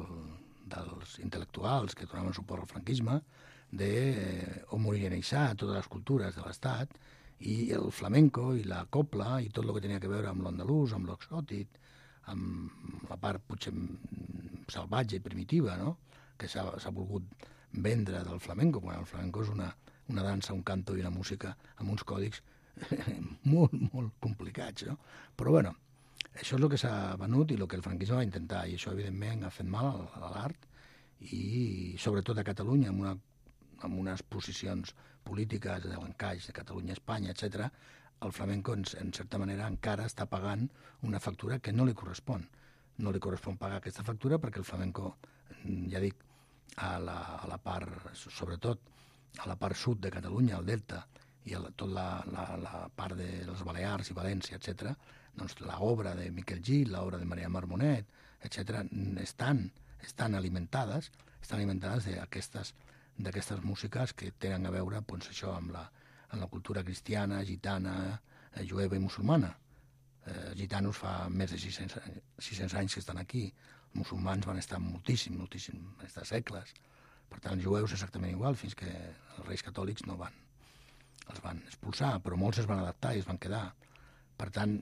dels intel·lectuals que donaven suport al franquisme d'homogeneïtzar totes les cultures de l'Estat, i el flamenco i la copla i tot el que tenia a veure amb l'andalús, amb l'exòtic, amb la part potser salvatge i primitiva, no? Que s'ha volgut vendre del flamenco, quan el flamenco és una, una dansa, un canto i una música amb uns còdics molt, molt complicats, no? Però, bueno, això és el que s'ha venut i el que el franquisme va intentar, i això, evidentment, ha fet mal a l'art, i sobretot a Catalunya, amb, una, amb unes posicions polítiques de l'encaix de Catalunya, Espanya, etcètera, el flamenco, en, en certa manera, encara està pagant una factura que no li correspon. No li correspon pagar aquesta factura perquè el flamenco, ja dic, a la, a la part, sobretot a la part sud de Catalunya, al Delta, i a la, tot la, la, la part de les Balears i València, etcètera, doncs l'obra de Miquel Gil, l'obra de Maria Marmonet, etcètera, estan, estan alimentades, estan alimentades d'aquestes d'aquestes músiques que tenen a veure, doncs, això, amb la, amb la cultura cristiana, gitana, eh, jueva i musulmana. Eh, gitanos fa més de sis-cents anys que estan aquí, els musulmans van estar moltíssim, moltíssim, van estar segles. Per tant, els jueus exactament igual, fins que els reis catòlics no van, els van expulsar, però molts es van adaptar i es van quedar. Per tant,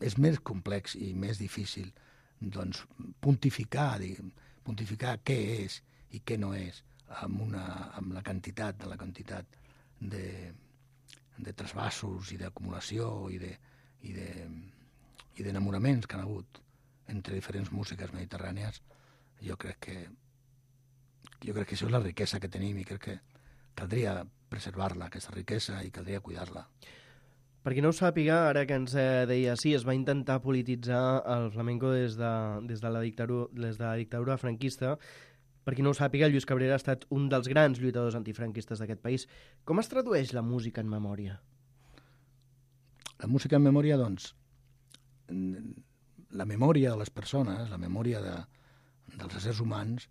és més complex i més difícil, doncs, pontificar, diguem, pontificar què és i què no és, amb, una, amb la quantitat de la quantitat de, de trasbassos i d'acumulació i de, i de, i d'enamoraments que han hagut entre diferents músiques mediterrànies. Jo crec que jo crec que això és la riquesa que tenim i crec que caldria preservar-la, aquesta riquesa, i caldria cuidar-la. Per qui no ho sàpiga, ara que ens deia sí, es va intentar polititzar el flamenco des de, des de, la, dictadura, des de la dictadura franquista, Per qui no ho sàpiga, Lluís Cabrera ha estat un dels grans lluitadors antifranquistes d'aquest país. Com es tradueix la música en memòria? La música en memòria, doncs, la memòria de les persones, la memòria de, dels éssers humans,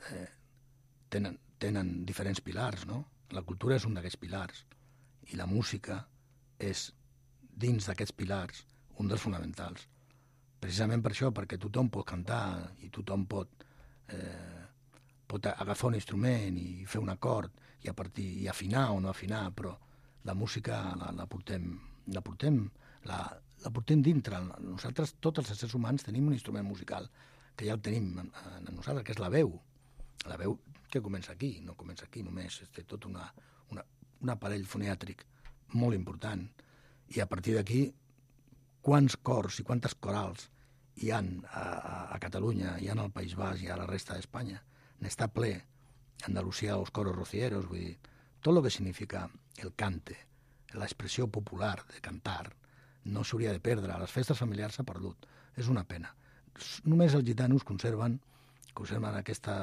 eh, tenen, tenen diferents pilars, no? La cultura és un d'aquests pilars i la música és, dins d'aquests pilars, un dels fonamentals. Precisament per això, perquè tothom pot cantar i tothom pot, eh, pot agafar un instrument i fer un acord i, a partir, i afinar o no afinar, però la música la, la portem, la portem, la, la portem dintre. Nosaltres, tots els éssers humans, tenim un instrument musical que ja el tenim en, en nosaltres, que és la veu. La veu que comença aquí, no comença aquí només, té tot una, una, un aparell fonètric molt important. I a partir d'aquí, quants cors i quantes corals hi ha a, a Catalunya, hi ha al País Basc i a la resta d'Espanya. N'està ple. Andalusia, els coros rocieros, vull dir, tot el que significa el cante, l'expressió popular de cantar, no s'hauria de perdre. A les festes familiars s'ha perdut. És una pena. Només els gitanos conserven, conserven aquesta,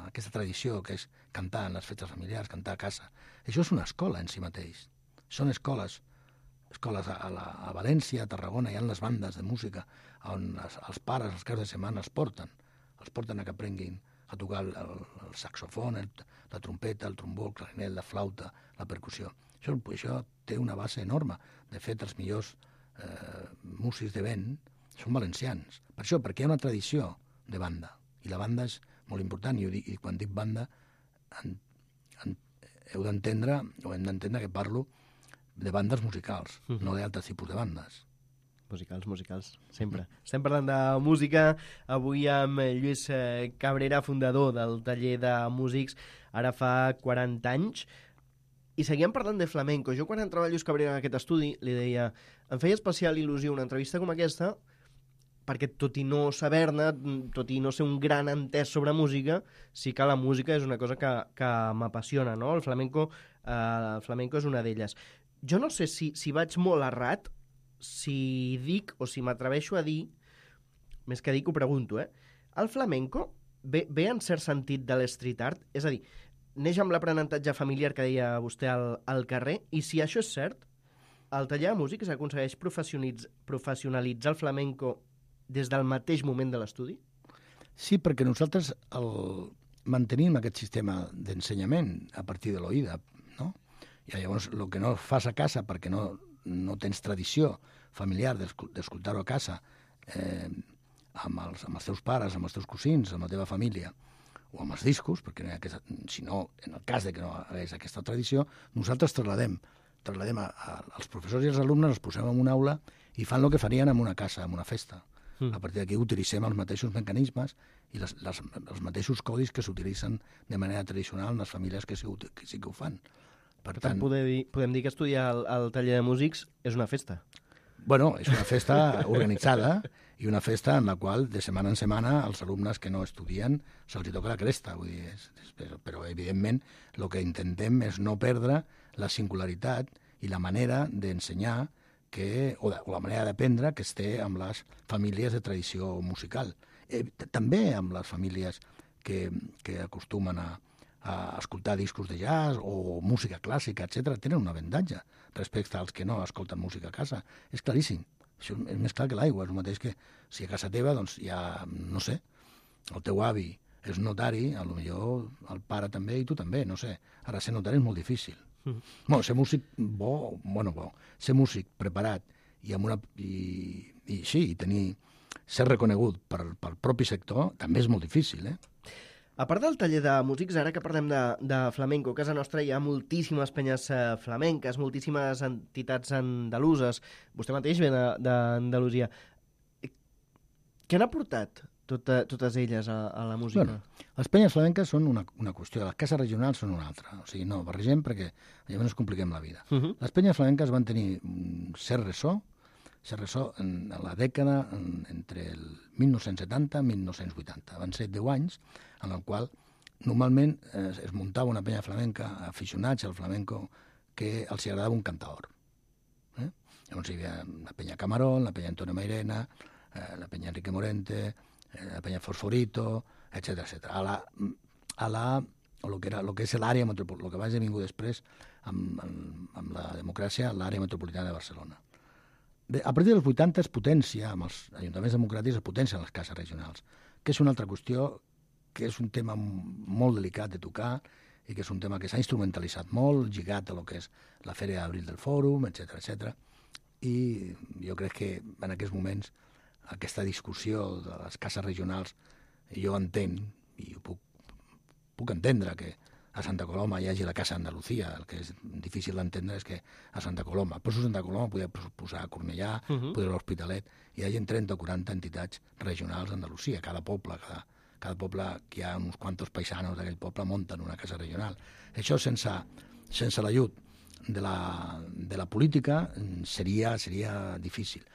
aquesta tradició, que és cantar en les festes familiars, cantar a casa. Això és una escola en si mateix. Són escoles, escoles a, a, la, a València, a Tarragona, hi ha les bandes de música on els, els pares, els caps de setmana, els porten. Els porten a que aprenguin a tocar el, el, el saxofon, el, la trompeta, el trombó, el clarinet, la flauta, la percussió. Això, això té una base enorme. De fet, els millors eh, músics de vent són valencians. Per això, perquè hi ha una tradició de banda. I la banda és molt important. I, dic, i quan dic banda, en, en, heu d'entendre, o hem d'entendre que parlo de bandes musicals, uh-huh. no d'altres tipus de bandes. Musicals, musicals, sempre. Estem parlant de música, avui amb Lluís Cabrera, fundador del taller de músics, ara fa quaranta anys, i seguíem parlant de flamenco. Jo quan entrava Lluís Cabrera en aquest estudi li deia, em feia especial il·lusió una entrevista com aquesta, perquè tot i no saber-ne, tot i no ser un gran entès sobre música, sí que la música és una cosa que, que m'apassiona, no? El flamenco, eh, el flamenco és una d'elles. Jo no sé si, si vaig molt errat, si dic o si m'atreveixo a dir, més que dic ho pregunto, eh? El flamenco ve, ve en cert sentit de l'street art? És a dir, neix amb l'aprenentatge familiar que deia vostè al, al carrer, i si això és cert, el taller de músics aconsegueix professionalitzar el flamenco des del mateix moment de l'estudi? Sí, perquè nosaltres el, mantenim aquest sistema d'ensenyament a partir de l'oïda, no? I llavors el que no fas a casa perquè no, no tens tradició familiar d'escoltar-ho a casa eh, amb, els, amb els teus pares, amb els teus cosins, amb la teva família, o amb els discos, perquè no hi ha aquesta, si no, en el cas de que no hagués aquesta tradició, nosaltres trasladem, trasladem a, a, als professors i als alumnes, els posem en una aula i fan el que farien en una casa, en una festa. Mm. A partir d'aquí utilitzem els mateixos mecanismes i les, les, els mateixos codis que s'utilitzen de manera tradicional en les famílies que sí, que, sí que ho fan. Per tant, podem dir, podem dir que estudiar al, al taller de músics és una festa. Bueno, és una festa organitzada i una festa en la qual de setmana en setmana els alumnes que no estudien se'ls toca la cresta. Vull dir, és, és, però, però, evidentment, el que intentem és no perdre la singularitat i la manera d'ensenyar que, o, de, o la manera d'aprendre que es té amb les famílies de tradició musical. Eh, també amb les famílies que, que acostumen a a escoltar discos de jazz o música clàssica, etcètera, tenen un avantatge respecte als que no escolten música a casa. És claríssim. Això és més clar que l'aigua. És el mateix que si a casa teva, doncs, hi ha, no sé, el teu avi és notari, a lo millor el pare també i tu també, no sé. Ara, ser notari és molt difícil. Mm. Bueno, ser músic bo, bueno, bo, ser músic preparat i amb una... I, i sí, i tenir... ser reconegut per, pel propi sector també és molt difícil, eh? A part del taller de músics, ara que parlem de, de flamenco, a casa nostra hi ha moltíssimes penyes eh, flamenques, moltíssimes entitats andaluses. Vostè mateix ve d'Andalusia. Què han aportat tota, totes elles a, a la música? Bueno, les penyes flamenques són una, una qüestió, les cases regionals són una altra. O sigui, no barregem perquè llavors ens compliquem la vida. Uh -huh. Les penyes flamenques van tenir un cert ressò, cert ressò en, en la dècada en, entre el mil nou-cents setanta i mil nou-cents vuitanta. Van ser deu anys en el qual normalment eh, es muntava una penya flamenca, aficionats al flamenco, que els agradava un cantaor. Eh? Llavors hi havia la penya Camarón, la penya Antonio Mairena, eh, la penya Enrique Morente, eh, la penya Fosforito, etcètera etcètera. A la, a la, o lo que, era, lo que és l'àrea metropolitana, el que va esdevingut després amb, amb, amb la democràcia, l'àrea metropolitana de Barcelona. De, a partir dels vuitanta es potència, amb els ajuntaments democràtics es potencien les cases regionals, que és una altra qüestió, que és un tema molt delicat de tocar i que és un tema que s'ha instrumentalitzat molt, lligat a lo que és la Fèria d'Abril del Fòrum, etcètera, etcètera. I jo crec que en aquests moments aquesta discussió de les cases regionals, jo entenc, i ho puc, puc entendre que a Santa Coloma hi hagi la Casa Andalucía, el que és difícil d'entendre és que a Santa Coloma, però a Santa Coloma podria posar a Cornellà, uh -huh. podria l'Hospitalet, hi hagi trenta o quaranta entitats regionals d'Andalusia, cada poble, cada, cada poble, que hi ha uns quantos paisanos d'aquell poble, munten una casa regional. Això sense, sense l'ajut de la, de la política seria, seria difícil.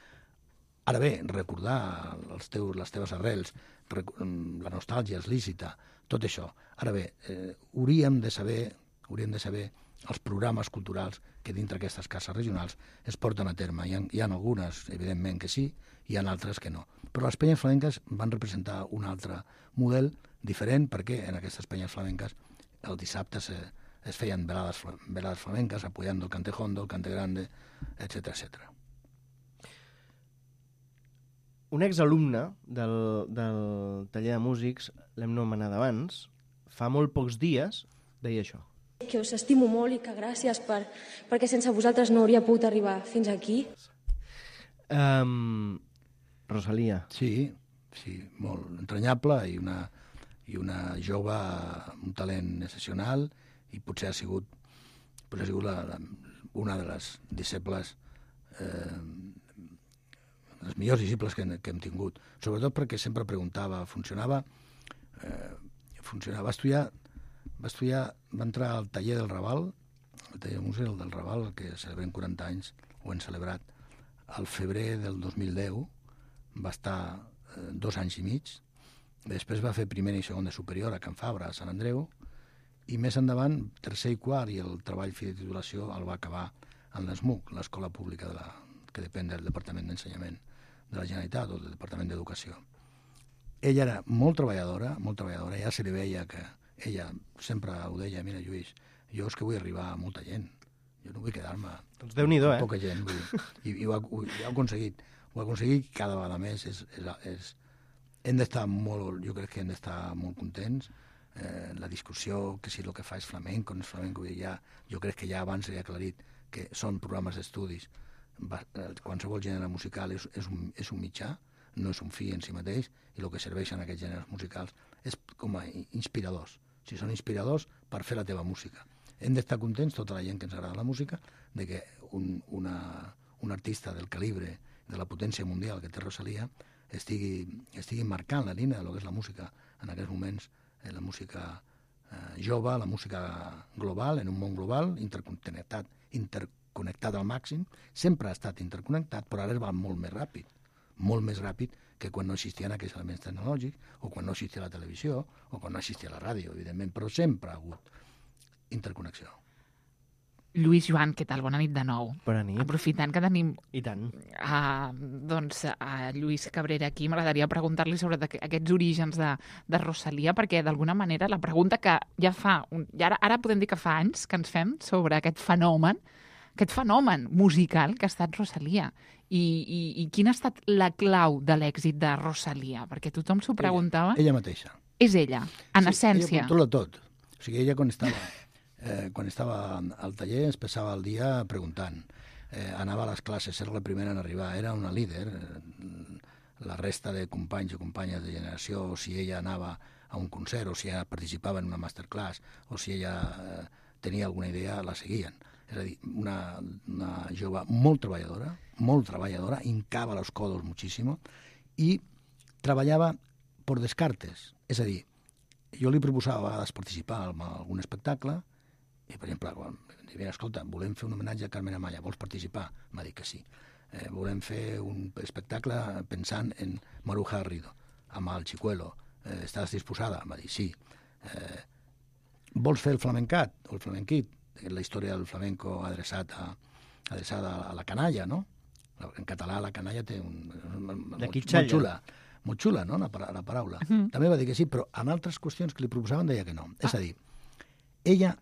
Ara bé, recordar els teus, les teves arrels, la nostàlgia és lícita, tot això. Ara bé, eh, hauríem de saber, hauríem de saber els programes culturals que dintre aquestes cases regionals es porten a terme. Hi ha, hi ha algunes, evidentment, que sí, hi ha altres que no. Però les penyes flamenques van representar un altre model diferent, perquè en aquestes penyes flamenques el dissabte se, es feien velades, velades flamenques, apoyando el cante hondo, el cante grande, etcètera, etcètera. Un exalumne del, del taller de músics, l'hem nomenat abans, fa molt pocs dies deia això. Que us estimo molt i que gràcies per, perquè sense vosaltres no hauria pogut arribar fins aquí. Um, Rosalia. Sí, sí, molt entranyable i una, i una jove amb un talent excepcional i potser ha sigut, potser ha sigut la, la, una de les disciples eh, les millors disciples que, que hem tingut, sobretot perquè sempre preguntava, funcionava, eh, funcionava, va estudiar, va estudiar, va entrar al taller del Raval, el taller de música del Raval, que celebrem quaranta anys, ho hem celebrat, al febrer del dos mil deu, va estar eh, dos anys i mig, després va fer primer i segon de superior a Can Fabra, a Sant Andreu, i més endavant, tercer i quart, i el treball fi de titulació el va acabar en l'E S M U C, l'Escola Pública de la, que depèn del Departament d'Ensenyament de la Generalitat o del Departament d'Educació. Ella era molt treballadora, molt treballadora, ja se li veia que ella sempre ho deia, mira, Lluís, jo és que vull arribar a molta gent, jo no vull quedar-me doncs Déu-n'hi-do, eh? poca gent, vull dir. I, i ho, ha, ho, ho ha aconseguit, ho ha aconseguit cada vegada més, és, és, és, hem d'estar molt, jo crec que hem d'estar molt contents, eh, la discussió, que si el que fa és flamenco, no és flamenco, vull dir, ja, jo crec que ja abans he aclarit que són programes d'estudis, qualsevol gènere musical és, és, un, és un mitjà, no és un fi en si mateix, i el que serveixen aquests gèneres musicals és com a inspiradors. O sigui, són inspiradors per fer la teva música. Hem d'estar contents, tota la gent que ens agrada la música, de que un, una, un artista del calibre, de la potència mundial que té Rosalia, estigui, estigui marcant la línia del que és la música en aquests moments, eh, la música eh, jove, la música global, en un món global, interconnectat, interconnectat, connectat al màxim, sempre ha estat interconnectat, però ara es va molt més ràpid, molt més ràpid que quan no existien aquests elements tecnològics, o quan no existia la televisió, o quan no existia la ràdio, evidentment, però sempre ha hagut interconnexió. Lluís, Joan, què tal? Bona nit de nou. Bona nit. Aprofitant que tenim I tant. Uh, doncs a Lluís Cabrera aquí, m'agradaria preguntar-li sobre aquests orígens de, de Rosalia, perquè d'alguna manera la pregunta que ja fa, un, ja ara, ara podem dir que fa anys que ens fem sobre aquest fenomen, aquest fenomen musical que ha estat Rosalia. I, i, i quina ha estat la clau de l'èxit de Rosalia? Perquè tothom s'ho preguntava. Ella, ella mateixa. És ella, en sí, essència. Ella controla tot. O sigui, ella quan estava, eh, quan estava al taller es passava el dia preguntant. Eh, anava a les classes, era la primera en arribar, era una líder. La resta de companys i companyes de generació, o si ella anava a un concert, o si ella participava en una masterclass, o si ella eh, tenia alguna idea, la seguien. És a dir, una, una jove molt treballadora, molt treballadora, hincava los codos muchísimo, i treballava por descartes. És a dir, jo li proposava a vegades participar en algun espectacle, i, per exemple, quan em deia, escolta, volem fer un homenatge a Carmen Amaya, vols participar? M'ha dit que sí. Eh, volem fer un espectacle pensant en Maruja Garrido, amb el Chicuelo. Eh, estàs disposada? M'ha dit sí. Eh, vols fer el flamencat o el flamenquit? La història del flamenco adreçat a, adreçada a la canalla, no? En català la canalla té un... molt, molt xula, molt xula, no?, la, la paraula. Mhm. També va dir que sí, però en altres qüestions que li proposaven deia que no. És a dir, ella,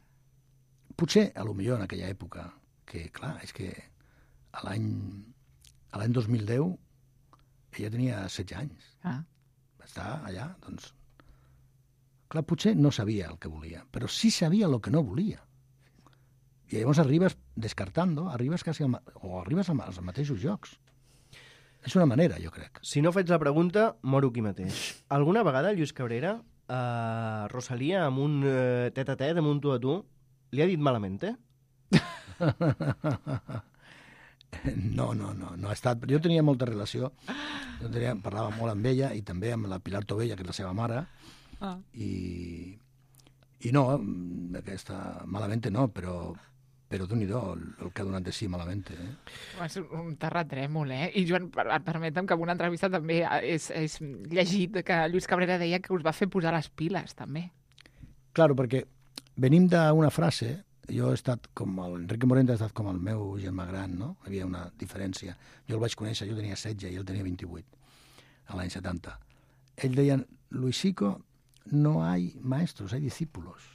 potser, a lo millor en aquella època, que, clar, és que a l'any a l'any dos mil deu ella tenia setze anys. Ah. Va estar allà, doncs... Clar, potser no sabia el que volia, però sí sabia el que no volia. I llavors arribes descartando, arribes quasi al, o arribes als mateixos llocs. És una manera, jo crec. Si no faig la pregunta, moro aquí mateix. Alguna vegada Lluís Cabrera, a Rosalía, amb un eh, tet-a-tet, amb un tu a tu, li ha dit malament, eh? No, no, no, no ha estat... Jo tenia molta relació, jo tenia, parlava molt amb ella i també amb la Pilar Tobella, que és la seva mare, ah. i, i no, aquesta, malament no, però, però d'un-i-do, el, el que ha donat de sí malament. Eh? És un terratrèmol, eh? I Joan, per, permetem que en una entrevista també és, és llegit que Lluís Cabrera deia que us va fer posar les piles, també. Claro, perquè venim d'una frase... Jo he estat com el... Enrique Morente ha estat com el meu germà gran, no? Hi havia una diferència. Jo el vaig conèixer, jo tenia setze i ell tenia vint-i-vuit, a l'any setanta. Ell deia, Luisico, no hay maestros, hay discípulos.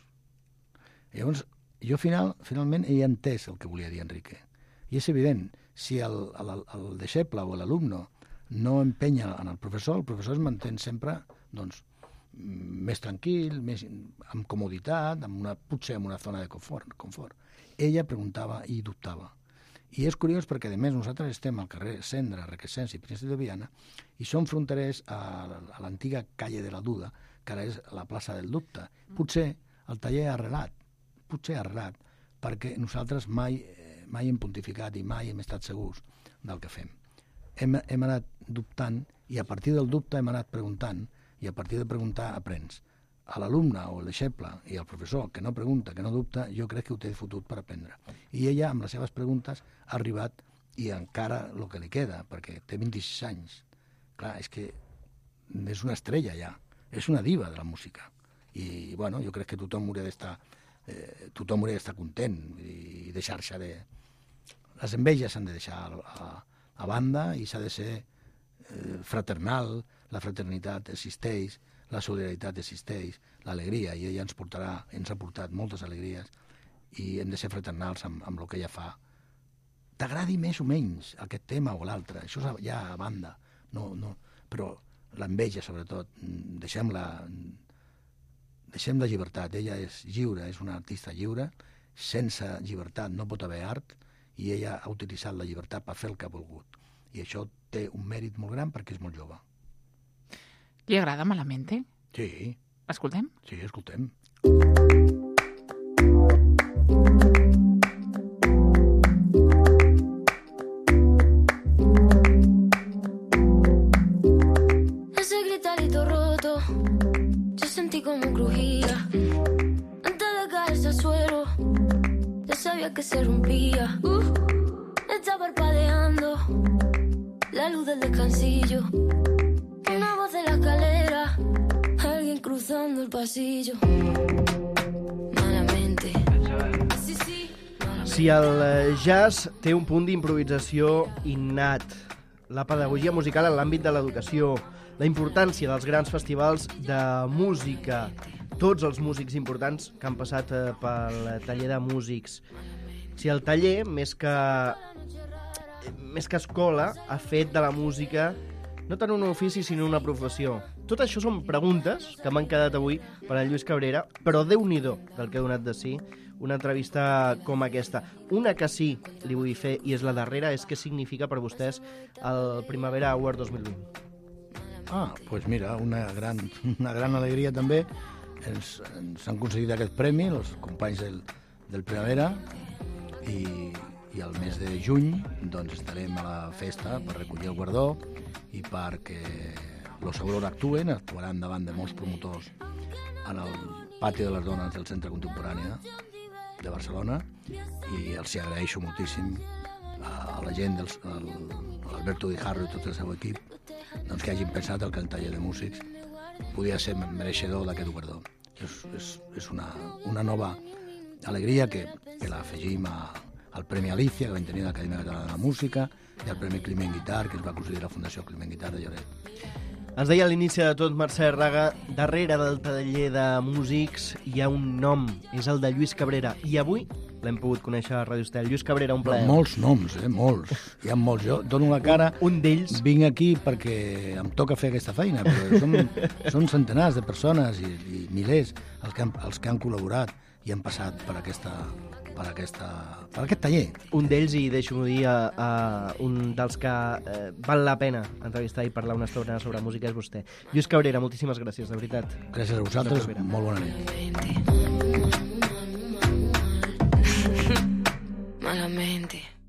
I llavors, jo final, finalment he entès el que volia dir Enrique. I és evident, si el, el, el deixeble o l'alumne no empenya en el professor, el professor es manté sempre, doncs, més tranquil, més amb comoditat, amb una, potser amb una zona de confort, confort. Ella preguntava i dubtava. I és curiós perquè, a més, nosaltres estem al carrer Cendra, Requesens i Príncep de Viana i som fronterers a, a l'antiga calle de la Duda, que ara és la plaça del Dubte. Potser el taller ha arrelat, potser ha arrelat, perquè nosaltres mai, mai hem pontificat i mai hem estat segurs del que fem. Hem, hem anat dubtant i a partir del dubte hem anat preguntant i a partir de preguntar aprens. A l'alumne o el deixeble i el professor que no pregunta, que no dubta, jo crec que ho té fotut per aprendre. I ella, amb les seves preguntes, ha arribat i encara el que li queda, perquè té vint-i-sis anys. Clar, és que és una estrella ja, és una diva de la música. I, bueno, jo crec que tothom hauria d'estar eh, tothom hauria d'estar content i deixar-se de... Les enveges s'han de deixar a, a banda i s'ha de ser eh, fraternal. La fraternitat existeix, la solidaritat existeix, l'alegria, i ella ens portarà, ens ha portat moltes alegries, i hem de ser fraternals amb, amb el que ella fa. T'agradi més o menys aquest tema o l'altre, això ja a banda, no, no, però l'enveja, sobretot, deixem-la, deixem la llibertat, ella és lliure, és una artista lliure, sense llibertat no pot haver art, i ella ha utilitzat la llibertat per fer el que ha volgut, i això té un mèrit molt gran perquè és molt jove. Li agrada Malamente? Sí. Escoltem? Sí, escoltem. Ese gritarito roto, yo sentí como crujía. Antes de caerse al suelo, ya sabía que se rompía. Uh, está parpadeando la luz del descansillo. Una voz de la escalera, alguien cruzando el pasillo. Malamente. Sí, sí, malamente. Si el jazz té un punt d'improvisació innat, la pedagogia musical en l'àmbit de l'educació, la importància dels grans festivals de música, tots els músics importants que han passat pel taller de músics, si el taller, més que, més que escola, ha fet de la música no tant un ofici, sinó una professió. Tot això són preguntes que m'han quedat avui per a Lluís Cabrera, però Déu-n'hi-do del que ha donat de si una entrevista com aquesta. Una que sí li vull fer, i és la darrera, és què significa per vostès el Primavera Award dos mil vint. Ah, doncs pues mira, una gran, una gran alegria també. Ens, ens han concedit aquest premi, els companys del, del Primavera, i, i al mes de juny doncs, estarem a la festa per recollir el guardó i perquè Los Aurora actuen, actuaran davant de molts promotors en el pati de les dones del Centre Contemporània de Barcelona, i els hi agraeixo moltíssim a la gent, dels, a l'Alberto Di Harro i tot el seu equip, doncs, que hagin pensat que el taller de músics podia ser mereixedor d'aquest guardó. És, és, és una, una nova alegria que, que l'afegim a, al Premi Alicia, que vam tenir a l'Acadèmia Catalana de la Música, i al Premi Climent Guitar, que es va concedir la Fundació Climent Guitar de Lloret. Ens deia a l'inici de tot Mercè Raga, darrere del taller de músics hi ha un nom, és el de Lluís Cabrera, i avui l'hem pogut conèixer a Ràdio Estel. Lluís Cabrera, un plaer. Molts noms, eh? Molts. Hi ha molts. Jo dono la cara... Un, un d'ells... Vinc aquí perquè em toca fer aquesta feina, però són, són centenars de persones i, i milers els que, han, els que han col·laborat i han passat per aquesta... per, aquesta, per aquest taller. Un d'ells, i deixo-m'ho dir, a, a un dels que eh, val la pena entrevistar i parlar una estona sobre música és vostè. Lluís Cabrera, moltíssimes gràcies, de veritat. Gràcies a vosaltres, molt bona nit. Malamente.